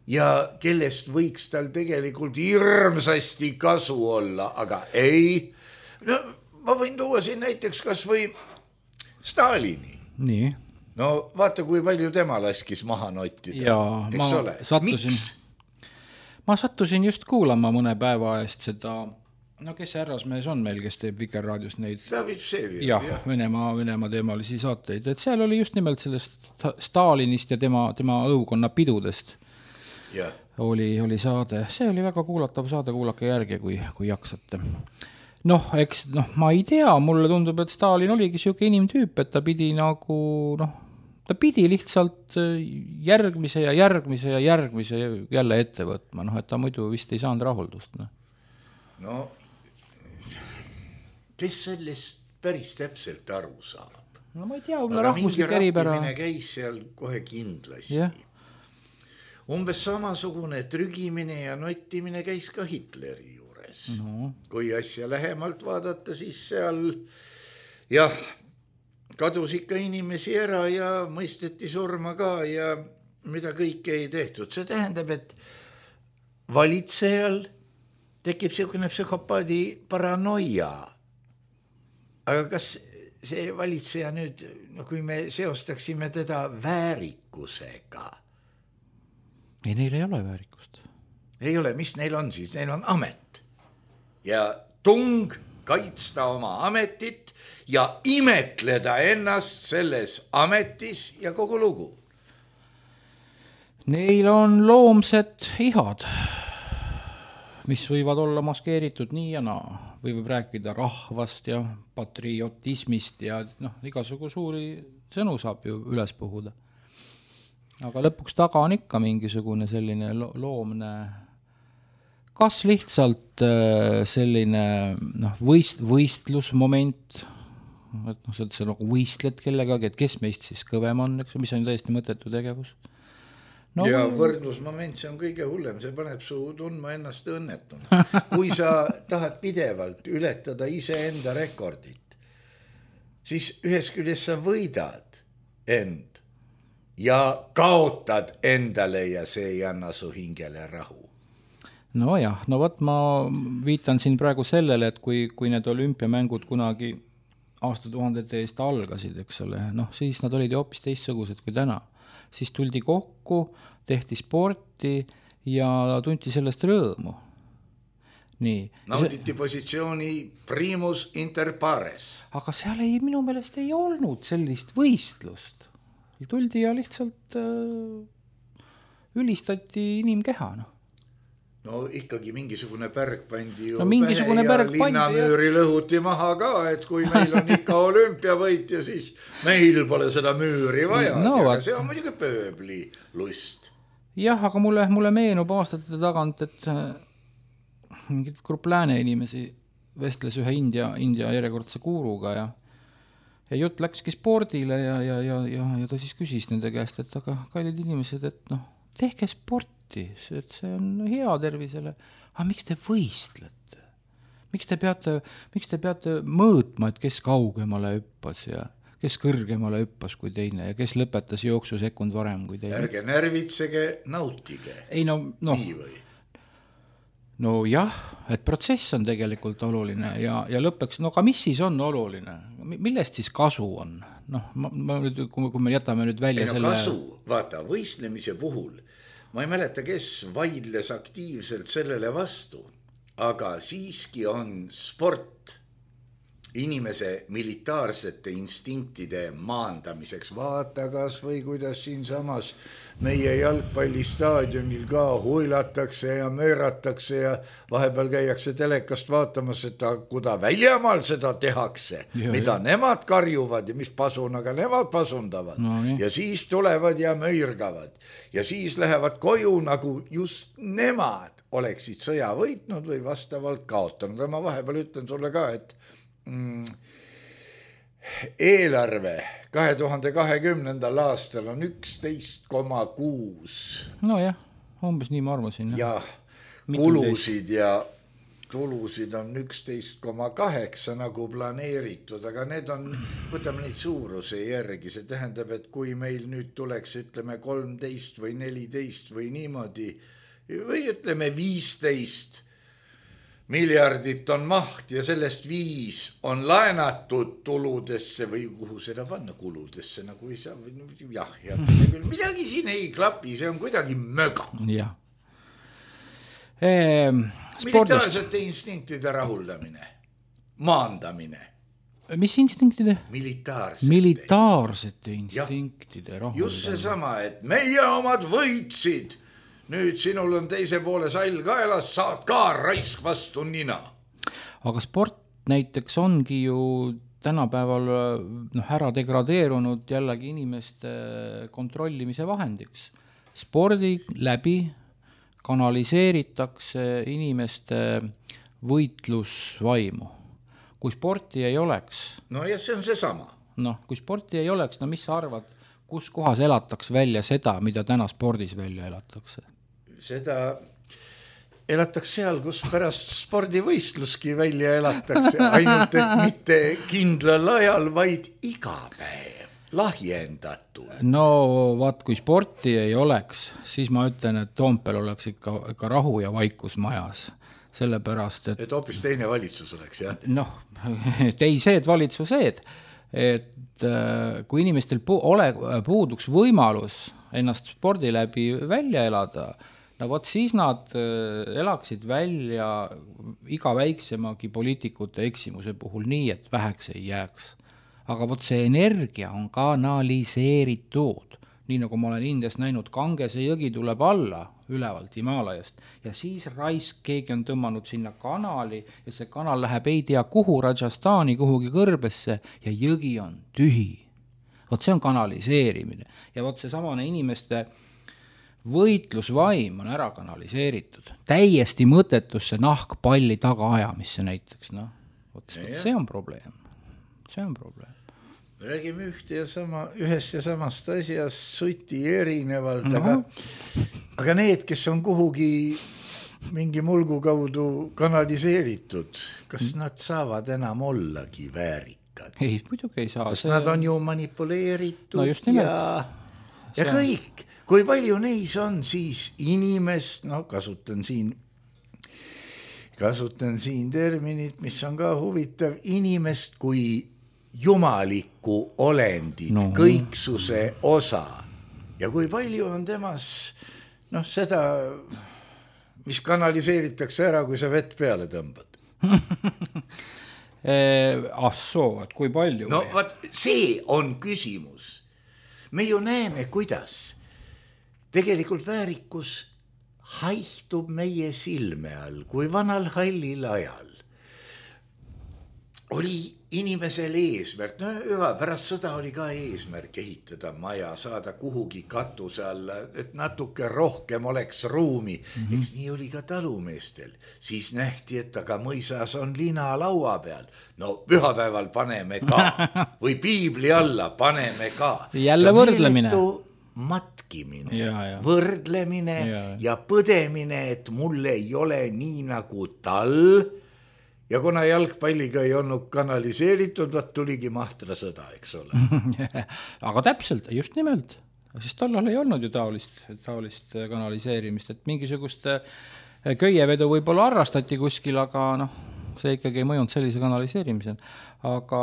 ja kellest võiks tal tegelikult hirmsasti kasu olla, aga ei. Ma võin tuua siin näiteks kas või Stalini. Nii. Vaata, kui palju tema laskis maha nottida. Jaa, ma sattusin just kuulama mõne päeva eest seda, kes see härrasmees on meil, kes teeb Vikerraadios neid... David Vseviov. Jah, Venemaa teemalisi saateid. Et seal oli just nimelt sellest Stalinist ja tema õukonna pidudest. Ja. Oli saade. See oli väga kuulatav saade, kuulake järgi, kui jaksate. Ma ei tea, mulle tundub, et Stalin oligi siuke inimtüüp, et ta pidi ta pidi lihtsalt järgmise jälle ette võtma, et ta muidu vist ei saanud rahuldust. Kes sellest päris täpselt aru saab? Ma ei tea, rahvuslik eripära. Aga mingi rappimine käis seal kohe kindlasti. Yeah. Umbes samasugune trügimine ja nottimine käis ka Hitleri juures. Kui asja lähemalt vaadata, siis seal kadus ikka inimesi ära ja mõisteti surma ka ja mida kõike ei tehtud. See tähendab, et valitsejal tekib selline psühhopaadi paranoia. Aga kas see valitseja nüüd, no kui me seostaksime teda väärikusega. Ei, neil ei ole väärikust. Ei ole, mis neil on siis? Neil on amet. Ja tung kaitsta oma ametit ja imetleda ennast selles ametis ja kogu lugu. Neil on loomsed ihad, mis võivad olla maskeeritud nii ja naa. Võib rääkida rahvast ja patriotismist ja igasugu suuri sõnu saab ju üles puhuda. Aga lõpuks taga on ikka mingisugune selline loomne, kas lihtsalt selline võistlusmoment, et sa nagu võistled kellegagi, et kes meist siis kõvem on, eks, mis on täiesti mõttetu tegevus. No, ja võrdlusmoment, see on kõige hullem, see paneb su tundma ennast õnnetuna. Kui sa tahad pidevalt ületada iseenda rekordit, siis ühes küljes sa võidad end ja kaotad endale ja see ei anna su hingele rahu. No jah, no võt ma viitan siin praegu sellele, et kui need olümpiamängud kunagi aastatuhandete eest algasid, eks ole, siis nad olid ju hoopis teistsugused kui täna. Siis tuldi kokku, tehti sporti ja tunti sellest rõõmu. Nii. Nauditi positsiooni primus inter pares. Aga seal minu meelest ei olnud sellist võistlust. Tuldi ja lihtsalt ülistati inimkeha. No ikkagi mingisugune pärk pandi ju mingisugune pähe ja linnamüüri lõhuti maha ka, et kui meil on ikka olümpiavõit ja siis meil pole seda müüri vaja. No, see on muidugi pööbli lust. Jah, aga mulle meenub aastate tagant, et mingid grupp lääne inimesi vestles ühe India järjekordse guuruga ja jutt läkski spordile ja ta siis küsis nende käest, et aga kallid inimesed, et tehke sporti, et see on hea tervisele. Aga miks te võistlete? Miks te peate mõõtma, et kes kaugemale hüppas ja kes kõrgemale hüppas kui teine ja kes lõpetas jooksu sekund varem kui teine? Ärge närvitsege, nautige. Ei, no jah, et protsess on tegelikult oluline ja lõppeks, aga mis siis on oluline? Millest siis kasu on? Kui me jätame nüüd välja selle... Kasu, vaata, võistlemise puhul ma ei mäleta, kes vaidles aktiivselt sellele vastu, aga siiski on sport inimese militaarsete instinktide maandamiseks. Vaata kas või kuidas siin samas meie jalgpallistaadionil ka huilatakse ja mööratakse ja vahepeal käiakse telekast vaatamas, et kuda väljamaal seda tehakse, mida nemad karjuvad ja mis pasunaga nemad pasundavad. Ja siis tulevad ja möirgavad ja siis lähevad koju, nagu just nemad oleksid sõja võitnud või vastavalt kaotanud. Ma vahepeal ütlen sulle ka, et eelarve 2020. aastal on 11,6. No jah, umbes nii ma arvasin. Ja kulusid ja tulusid on 11,8 nagu planeeritud, aga need on, võtame neid suuruse järgi, see tähendab, et kui meil nüüd tuleks, ütleme 13 või 14 või niimoodi, või ütleme 15 miljardit on maht ja sellest 5 on laenatud tuludesse või kuhu seda panna kuludesse, nagu ei saa, jah, midagi siin ei klapi, see on kuidagi möga. Jah. Militaarsete instinktide rahuldamine, maandamine. Mis instinktide? Militaarsete instinktide rahuldamine. Just see sama, et meie omad võitsid. Nüüd sinul on teise poole sall kaelas, saad ka raisk vastu nina. Aga sport näiteks ongi ju tänapäeval ära degradeerunud jällegi inimeste kontrollimise vahendiks. Spordi läbi kanaliseeritakse inimeste võitlusvaimu. Kui sporti ei oleks... No ja see on see sama. Kui sporti ei oleks, mis sa arvad, kus kohas elataks välja seda, mida täna spordis välja elatakse? Seda elatakse seal, kus pärast spordivõistluski välja elatakse, ainult et mitte kindlal ajal, vaid iga päev, lahjendatud. No vaat, kui sporti ei oleks, siis ma ütlen, et Toompel oleks ikka rahu ja vaikus majas. Sellepärast, et hoopis teine valitsus oleks, jah? Teised valitsused. et kui inimestel puuduks võimalus ennast spordi läbi välja elada, no vot siis nad elaksid välja iga väiksemagi poliitikute eksimuse puhul nii, et väheks ei jääks. Aga vot see energia on kanaliseeritud. Nii nagu ma olen Indias näinud, Kangese jõgi tuleb alla ülevalt Himalajast ja siis keegi on tõmmanud sinna kanali ja see kanal läheb ei tea kuhu Rajasthani kuhugi kõrbesse ja jõgi on tühi. Vot see on kanaliseerimine ja vot see samane inimeste võitlusvaim on ära kanaliseeritud. Täiesti mõttetusse nahkpalli tagaajamisse näiteks. No, see on probleem. See on probleem. Me räägime ühest ja samast asjast suti erinevalt, aga need, kes on kuhugi mingi mulgu kaudu kanaliseeritud, kas nad saavad enam ollagi väärikad? Ei, muidugi ei saa. Kas nad on ju manipuleeritud no ja kõik. Kui palju neis on siis inimest, kasutan siin terminit, mis on ka huvitav, inimest kui jumalikku olendit, kõiksuse osa. Ja kui palju on temas seda, mis kanaliseeritakse ära, kui sa vett peale tõmbad? Et kui palju? No see on küsimus. Me ju näeme, kuidas tegelikult väärikus haihtub meie silme all, kui vanal hallil ajal oli inimesel eesmärk, pärast sõda oli ka eesmärk ehitada maja, saada kuhugi katuse alla, et natuke rohkem oleks ruumi. Eks nii oli ka talumeestel. Siis nähti, et aga mõisas on lina laua peal. No pühapäeval paneme ka või piibli alla paneme ka. Jälle võrdlemine. Matkimine, võrdlemine ja põdemine, et mul ei ole nii nagu tal. Ja kuna jalgpalliga ei olnud kanaliseeritud, tuligi mahtra sõda, eks ole. Aga täpselt, just nimelt. Siis tollal ei olnud ju taolist kanaliseerimist, et mingisugust köievedu võib-olla arrastati kuskil, aga see ikkagi ei mõjunud sellise kanaliseerimisel. Aga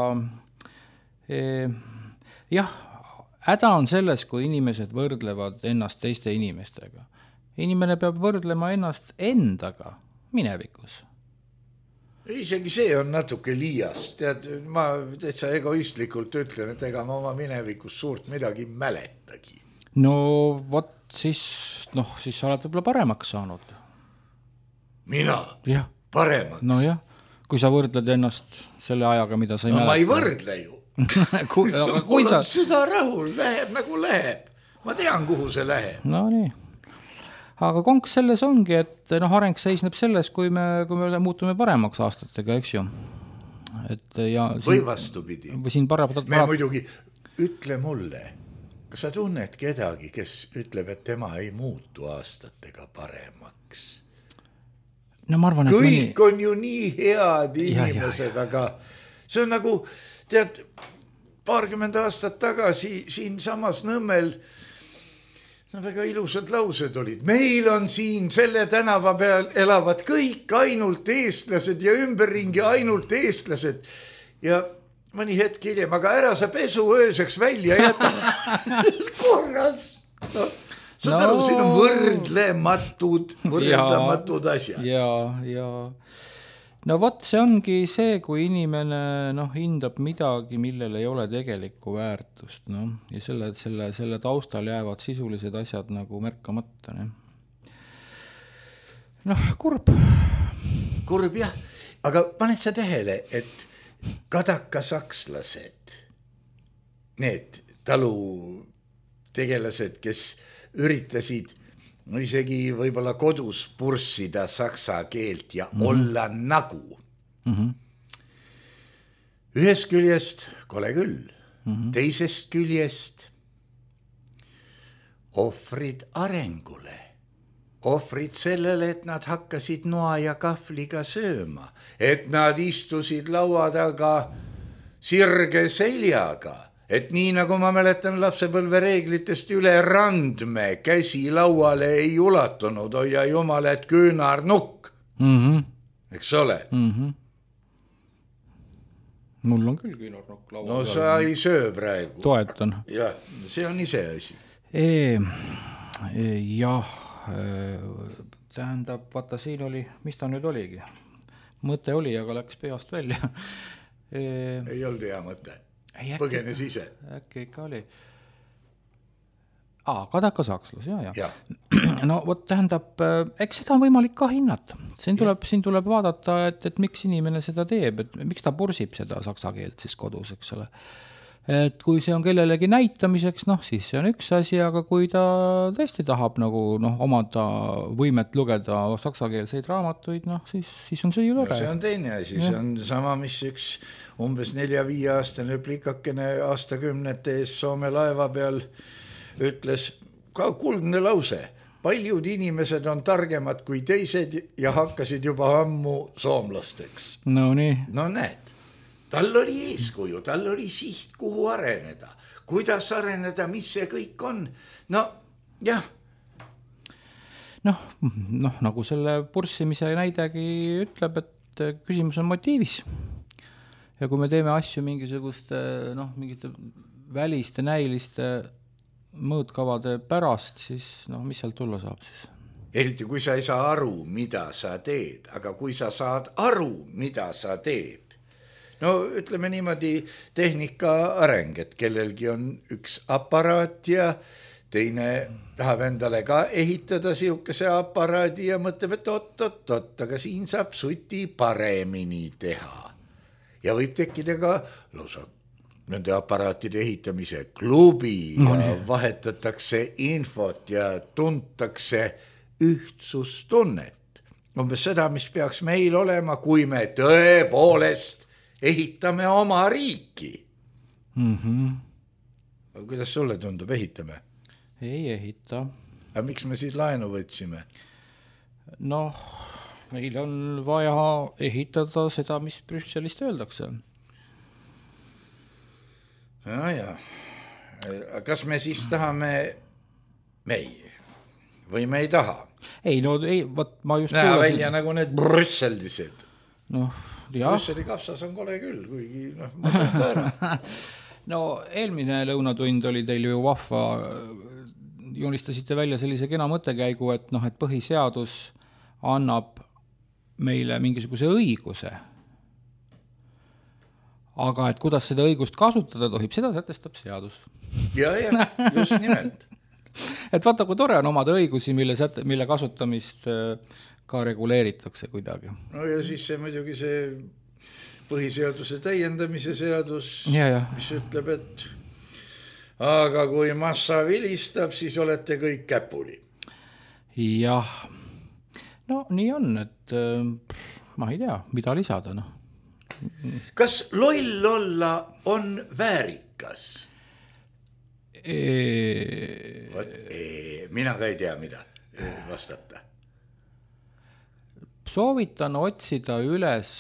häda on selles, kui inimesed võrdlevad ennast teiste inimestega. Inimene peab võrdlema ennast endaga minevikus. Isegi see on natuke liiast. Tead, ma täitsa egoistlikult ütlen, et ega ma oma minevikus suurt midagi mäletagi. No vot, siis sa oled võib-olla paremaks saanud. Mina? Jah. Paremaks? No jah, kui sa võrdled ennast selle ajaga, mida sa ei mäleta. Ma ei võrdle ju. Mul on süda rahul, läheb nagu läheb. Ma tean, kuhu see läheb. No nii. Aga konks selles ongi, et areng seisneb selles, kui me muutume paremaks aastatega, eks ju. Või vastupidi. Me muidugi, ütle mulle, kas sa tunned kedagi, kes ütleb, et tema ei muutu aastatega paremaks? No ma arvan, et kõik on ju nii head inimesed, aga see on nagu, tead, 20 aastat tagasi siin samas Nõmmel väga ilusad laused olid. Meil on siin selle tänava peal elavad kõik ainult eestlased ja ümberringi ainult eestlased. Ja mõni hetk hiljem, aga ära sa pesu ööseks välja jätta korras. Saad aru, siin on võrdlematud asjad. Ja. No vot, see ongi see, kui inimene hindab midagi, millel ei ole tegelikku väärtust. Ja selle taustal jäävad sisulised asjad nagu märkamata. Kurb. Kurb, jah. Aga paned sa tähele, et kadakasakslased, need talutegelased, kes üritasid isegi võib-olla kodus purssida saksa keelt ja olla nagu. Ühest küljest kole küll, teisest küljest ohvrid arengule, ohvrid sellele, et nad hakkasid noa ja kahvliga sööma, et nad istusid laua taga sirge seljaga. Et nii nagu ma mäletan lapsepõlve reeglitest üle randme, käsi lauale ei ulatunud, hoia jumal, et küünarnukk. Eks ole? mul on küll küünarnukk laua no sa ei söö praegu. Toetan. Jah, see on ise asi. Jah, tähendab, vaata siin oli, mis ta nüüd oligi? Mõte oli, aga läks peast välja. Ei olnud hea mõte. Põgenes ise. Äkki ikka oli. Kadaka sakslas, ja. No vot, tähendab, eks seda on võimalik ka hinnata. Siin tuleb vaadata, et miks inimene seda teeb, et miks ta pursib seda saksa keelt siis kodus, eks ole. Et kui see on kellelegi näitamiseks, siis see on üks asi, aga kui ta tõesti tahab nagu omada võimet lugeda saksakeelseid raamatuid, siis on see ju tore. See on teine asi, see on sama, mis üks umbes 4-5 aastane plikakene aastakümnete ees Soome laeva peal ütles ka kuldne lause. Paljud inimesed on targemad kui teised ja hakkasid juba ammu soomlasteks. No nii. No näed, tal oli eeskuju, tal oli siht, kuhu areneda. Kuidas areneda, mis see kõik on? No, jah. Nagu selle purssimise näidegi ütleb, et küsimus on motiivis. Ja kui me teeme asju mingisuguste, mingite väliste, näiliste mõõtkavade pärast, siis mis sealt tulla saab siis? Eriti kui sa ei saa aru, mida sa teed, aga kui sa saad aru, mida sa teed. No ütleme niimoodi tehnika areng, et kellelgi on üks aparaat ja teine tahab endale ka ehitada siukese aparaadi ja mõtleb, et oot, aga siin saab suti paremini teha. Ja võib tekkida ka lausa nende aparaatide ehitamise klubi ja vahetatakse infot ja tuntakse ühtsustunnet. Umbes seda, mis peaks meil olema, kui me tõepoolest ehitame oma riiki. Aga kuidas sulle tundub, ehitame? Ei ehita. Aga miks me siis laenu võtsime? Meil on vaja ehitada seda, mis Brüsselist öeldakse. Ja. Kas me siis tahame või me ei taha? Ei, ma just näe välja nagu need brüsseldised. Brüsseli kapsas on kole küll, kuigi ma saan ta ära. Eelmine lõunatund oli teil ju vahva, joonistasite välja sellise kena mõttekäigu, et põhiseadus annab meile mingisuguse õiguse. Aga et kuidas seda õigust kasutada tohib, seda sätestab seadus. Ja, just nimelt. Et vaata, kui tore on omada õigusi, mille kasutamist ka reguleeritakse kuidagi. No ja siis see muidugi see põhiseaduse täiendamise seadus, mis ütleb, et aga kui massa vilistab, siis olete kõik käpuli. Jah, nii on, et ma ei tea, mida lisada, Kas loll olla on väärikas? Mina ka ei tea, mida vastata. Soovitan otsida üles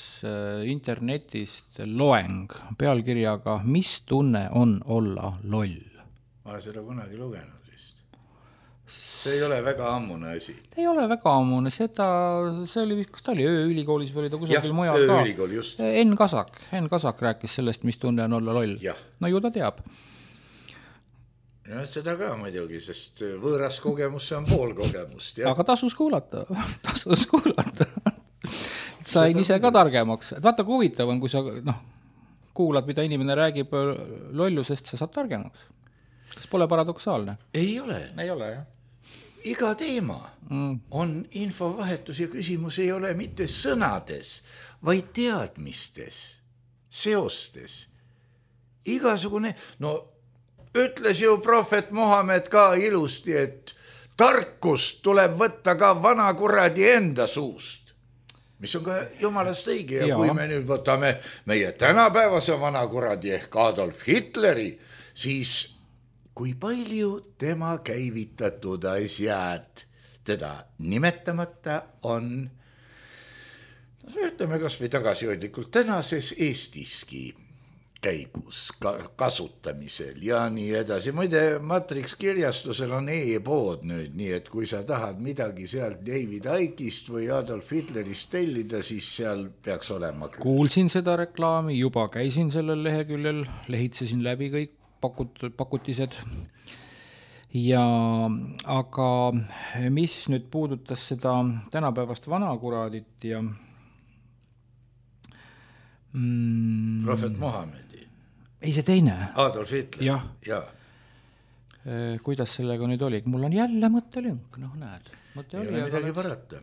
internetist loeng pealkirjaga Mis tunne on olla loll? Ma olen seda kunagi lugenud vist. See ei ole väga ammune asi. Ei ole väga ammune, see oli, kas ta oli ööülikoolis või oli ta kusagil mujal ka? Ööülikool, just. Enn Kasak rääkis sellest, mis tunne on olla loll. No ju ta teab. Ja seda ka muidugi, sest võõras kogemus on pool kogemust. Aga tasus kuulata. Sain ise ka targemaks. Vaata, kui huvitav on, kui sa kuulad, mida inimene räägib lollusest, sa saad targemaks. Kas pole paradoksaalne? Ei ole. Ei ole, jah. Iga teema on infovahetus ja küsimus ei ole mitte sõnades, vaid teadmistes, seostes. Igasugune, ütles ju prohvet Mohamed ka ilusti, et tarkust tuleb võtta ka vana kuradi enda suust, mis on ka jumalast õige. Ja kui me nüüd võtame meie tänapäevase vana kuradi ehk Adolf Hitleri, siis kui palju tema käivitatud asjad teda nimetamata on, ütleme kas või tagasihoidlikult tänases Eestiski käigus, kasutamisel ja nii edasi. Muide, Matrix kirjastusel on e-pood nüüd, nii et kui sa tahad midagi sealt David Icke'ist või Adolf Hitlerist tellida, siis seal peaks olema. Kuulsin seda reklaami, juba käisin sellel leheküljel, lehitsesin läbi kõik pakutised. Ja aga mis nüüd puudutas seda tänapäevast vanakuraadit ja Prohvet Mohamedi. Ei, see teine. Adolf Hitler. Ja. Kuidas sellega nüüd oli? Mul on jälle mõttelünk, näed. Ei ole midagi parata.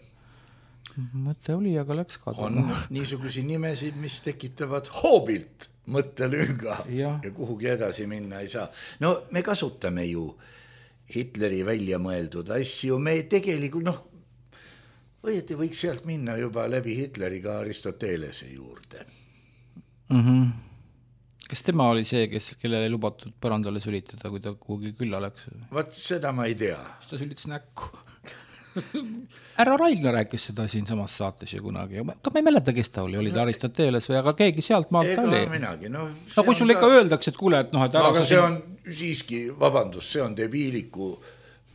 Mõte oli, aga läks kaduma. On niisugusi nimesid, mis tekitavad hoobilt mõttelünga ja kuhugi edasi minna ei saa. No me kasutame ju Hitleri välja mõeldud asju, me tegelikult, õieti võiks sealt minna juba läbi Hitleriga Aristotelese juurde. Kas tema oli see, kellele ei lubatud põrandale sülitada, kui ta kuhugi külla läks? Vaat seda ma ei tea. Ta sülitas näkku. Härra Raigna rääkis seda siin samas saates ju kunagi. Ma ei mäleta, kes ta oli ta Aristoteles või, aga keegi sealt maalt oli. Ega minagi. Kui sul ikka öeldakse, et kuule, et aga see on siiski, vabandust, see on debiiliku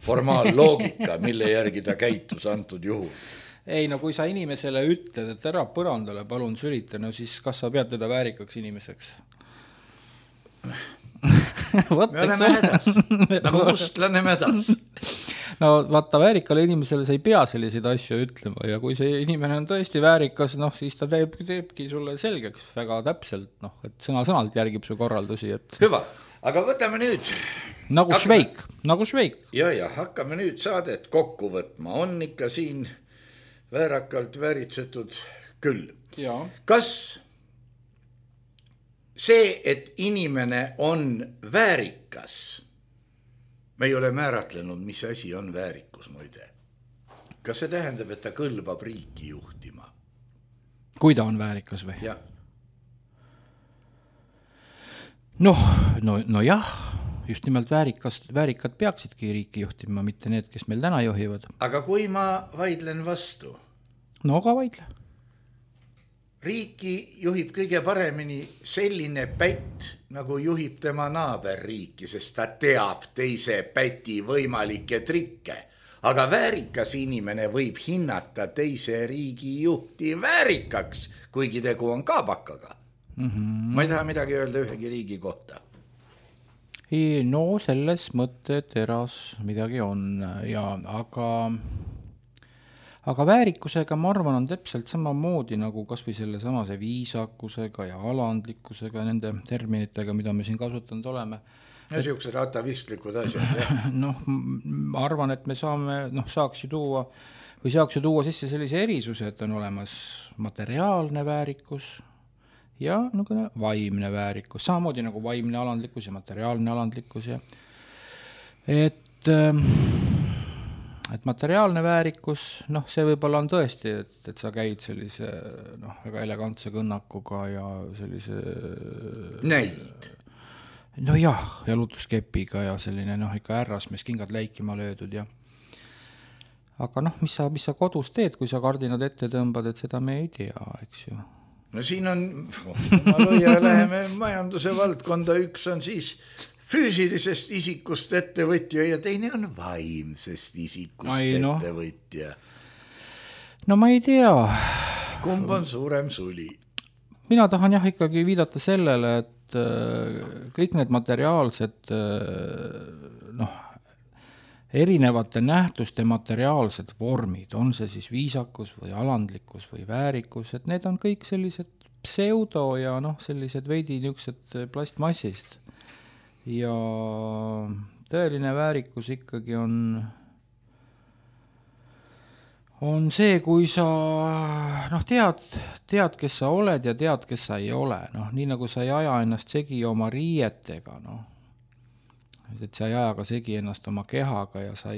formaalloogika, mille järgi ta käitus antud juhul. Ei, kui sa inimesele ütled, et ära põrandale palun sülita, siis kas sa pead teda väärikaks inimeseks? Me oleme hädas, nagu mustlane mädas. Vaata, väärikale inimesele sa ei pea selliseid asju ütlema ja kui see inimene on tõesti väärikas, siis ta teebki sulle selgeks väga täpselt, et sõna-sõnalt järgib su korraldusi. Hüva, aga võtame nüüd. Nagu Šveik. Ja, hakkame nüüd saadet kokku võtma. On ikka siin väärakalt vääritsetud küll. Ja. Kas see, et inimene on väärikas, me ei ole määratlenud, mis asi on väärikus, muide. Kas see tähendab, et ta kõlbab riiki juhtima? Kui ta on väärikas või? Jah. No jah, just nimelt väärikad peaksidki riiki juhtima, mitte need, kes meil täna juhivad. Aga kui ma vaidlen vastu? No aga vaidle. Riiki juhib kõige paremini selline pätt, nagu juhib tema naaberriiki, sest ta teab teise päti võimalikke trikke. Aga väärikas inimene võib hinnata teise riigi juhti väärikaks, kuigi tegu on kaabakaga. Ma ei taha midagi öelda ühegi riigi kohta. No selles mõtteteras midagi on, aga väärikusega, ma arvan, on täpselt samamoodi nagu kas või selle samase viisakusega ja alandlikkusega, nende terminitega, mida me siin kasutanud oleme. Ja siuksed atavistlikud asjad. Ma arvan, et me saaks ju tuua sisse sellise erisuse, et on olemas materiaalne väärikus ja vaimne väärikus. Samamoodi nagu vaimne alandlikkus ja materiaalne alandlikkus. Et materiaalne väärikus, see võib-olla on tõesti, et sa käid sellise väga elegantse kõnnakuga ja sellise... Näid. Ja lutuskepiga ja selline ikka ärrasmees kingad läikima löödud ja... Aga mis sa kodus teed, kui sa kardinad ette tõmbad, et seda me ei tea, eks ju? No siin on, läheme majanduse valdkonda, üks on siis... füüsilisest isikust ettevõtja ja teine on vaimsest isikust ettevõtja. No ma ei tea. Kumb on suurem suli? Mina tahan ikkagi viidata sellele, et kõik need materiaalsed, erinevate nähtuste materiaalsed vormid, on see siis viisakus või alandlikkus või väärikus, et need on kõik sellised pseudo ja sellised veidi niisugused plastmassist. Ja tõeline väärikus ikkagi on see, kui sa tead, kes sa oled ja tead, kes sa ei ole. Nii nagu sa ei aja ennast segi oma riietega, et sa ei aja ka segi ennast oma kehaga ja sa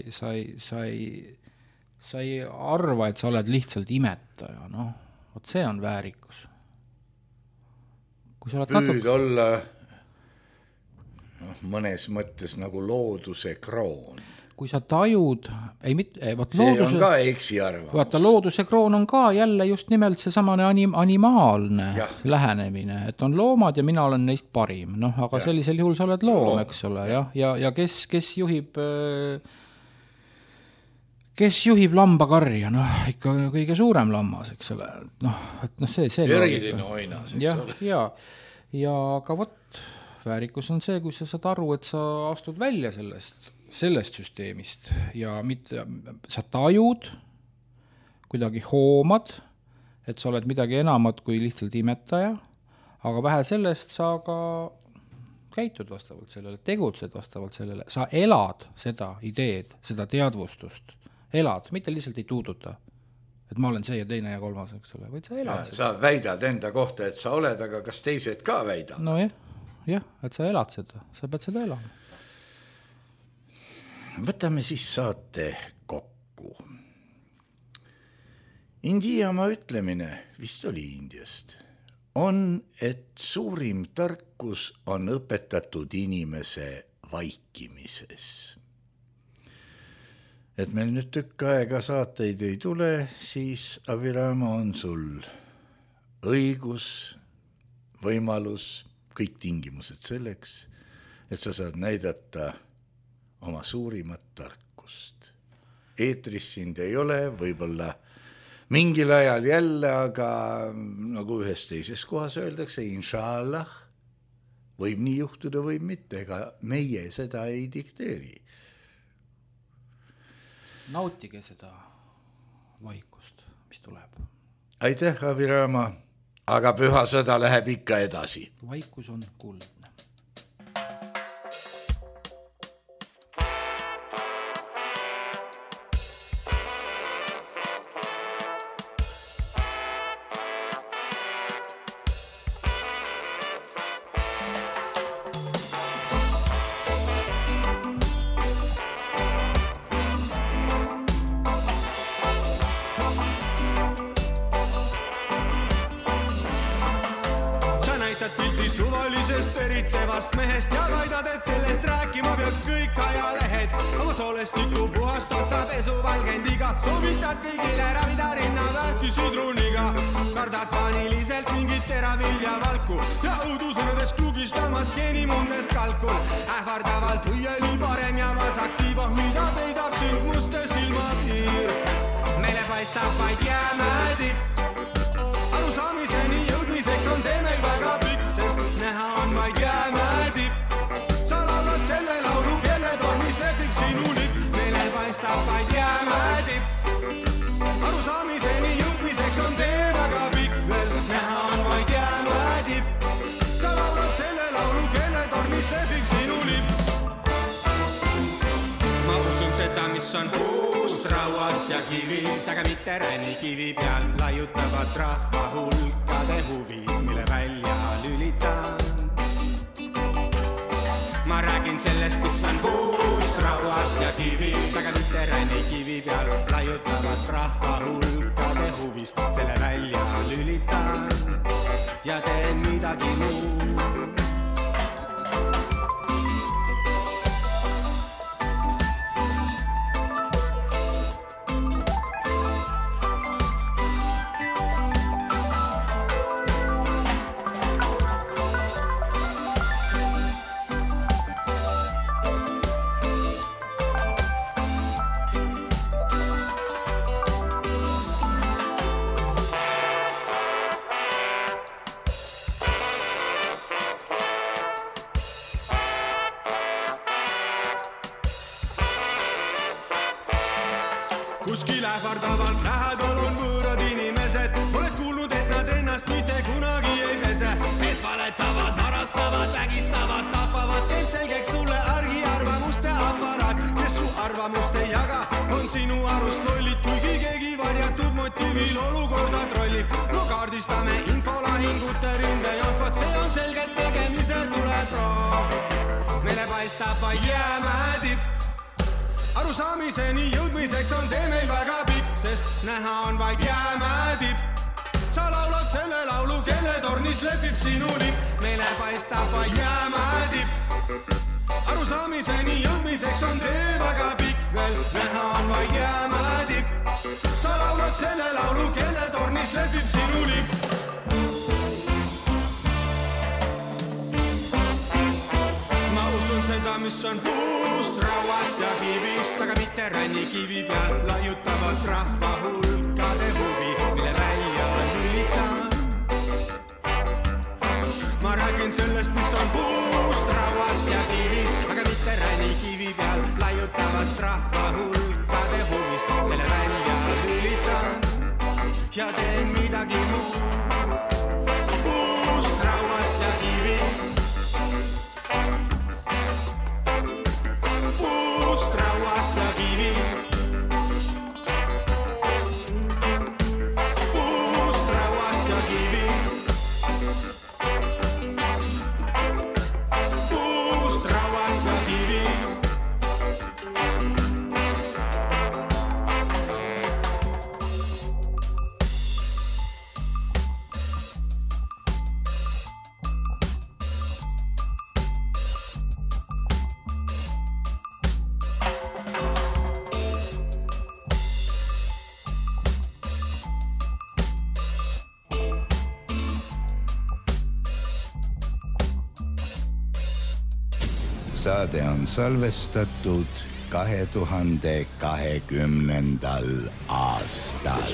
ei arva, et sa oled lihtsalt imetaja. Vot see on väärikus. Kui sa oled püüd olla... mõnes mõttes nagu looduse kroon. kui sa tajud, see on ka eksiarvamus. Vaata, looduse kroon on ka jälle just nimelt see samane animaalne lähenemine, et on loomad ja mina olen neist parim. Aga sellisel juhul sa oled loom, eks ole, ja kes juhib lambakarja, ikka kõige suurem lammas, eks ole. See eriline oinas, eks ole. Ja aga väärikus on see, kui sa saad aru, et sa astud välja sellest süsteemist ja mitte, sa tajud, kuidagi hoomad, et sa oled midagi enamat kui lihtsalt imetaja, aga vähe sellest sa ka käitud vastavalt sellele, tegutsed vastavalt sellele, sa elad seda ideed, seda teadvustust, elad, mitte lihtsalt ei tuuduta, et ma olen see ja teine ja kolmas, eks ole, vaid sa elad. Sa väidad enda kohta, et sa oled, aga kas teised ka väidad? Jah, et sa elad seda, sa pead seda elama. Võtame siis saate kokku. Indiamaa ütlemine, vist oli Indiast, on, et suurim tarkus on õpetatud inimese vaikimises. Et meil nüüd tükk aega saateid ei tule, siis Abhirama on sul õigus, võimalus, kõik tingimused selleks, et sa saad näidata oma suurimat tarkust. Eetris sind ei ole, võib-olla mingil ajal jälle, aga nagu ühes teises kohas öeldakse, inshallah, võib nii juhtuda, võib mitte, ega meie seda ei dikteeri. Nautige seda vaikust, mis tuleb. Aitäh, Abhirama, aga püha sõda läheb ikka edasi. Vaikus on kuldne. Suvalisest peritsevast mehest ja kaidad, et sellest rääkima peaks kõik ajalehed. Aga solestiku puhast otsa pesu valgendiga, soovitad kõigile ravida rinnavähki sidruniga. Kardad paaniliselt mingit teravilja valku ja õudusõnades klugistamas geenimundes kalkul. Ähvardavalt õieli parem ja vasaktiivoh, mida peidab sind muste silmatiir. Meile paistab vaid jäämäetipp. Arusaamiseni jõudmiseks on tee meil väga pikk, sest näha on vaid jäämäetipp. Sa laulad selle laulu, kelle tormis lehvib sinu lipp. Meile paistab vaid jäämäetipp. Arusaamiseni jõudmiseks on tee väga pikk, veel näha on vaid jäämäetipp. Sa laulad selle laulu, kelle tormis lehvib sinu lipp. Ma usun seda, mis on puust, rauast ja kivist, aga mitte ränikivi peal laiutavat rahva hulkade huvi, mille välja lülitan. Ma räägin sellest, mis on puust, rauast ja kivist, aga mitte ränikivi peal laiutavast rahva hulkade huvist, selle välja lülitan ja teen midagi muud. Kuskil ähvardavalt lähedal on võõrad inimesed. Oled kuulnud, et nad ennast mitte kunagi ei pese. Et valetavad, varastavad, vägistavad, tapavad. Teeb selgeks sulle argiarvamuste aparaat. Kes su arvamust ei jaga, on sinu arust lollid. Kuigi keegi varjatud motiivil olukorda trollib. No kaardistame infolahingute rindejonkot. See on selgelt tegemise tuleproov. Meile paistab vaid jäämäetipp. Arusaamiseni jõudmiseks on tee meil väga pikk, sest näha on vaid jäämäetipp. Sa laulad selle laulu, kelle tornis lehvib sinu lipp. Meile paistab vaid jäämäetipp. Arusaamiseni jõudmiseks on tee väga pikk, veel näha on vaid jäämäe tipp. Sa laulad selle laulu, kelle tornis lehvib sinu lipp. Ma usun seda, mis on puust, rauast ja kivist, aga mitte rannikivi peal laiutavad rahva hulkade huvi, mille välja lülitavad. Ma räägin sellest, mis on puust, rauast ja kivist, aga mitte rannikivi peal laiutavast rahva hulkade huvist, selle välja lülitan ja teen midagi muud. Puust, rauast ja kivist, puust, rauast ja kivist, puust, rauast ja kivist. Saade on salvestatud 2020. aastal.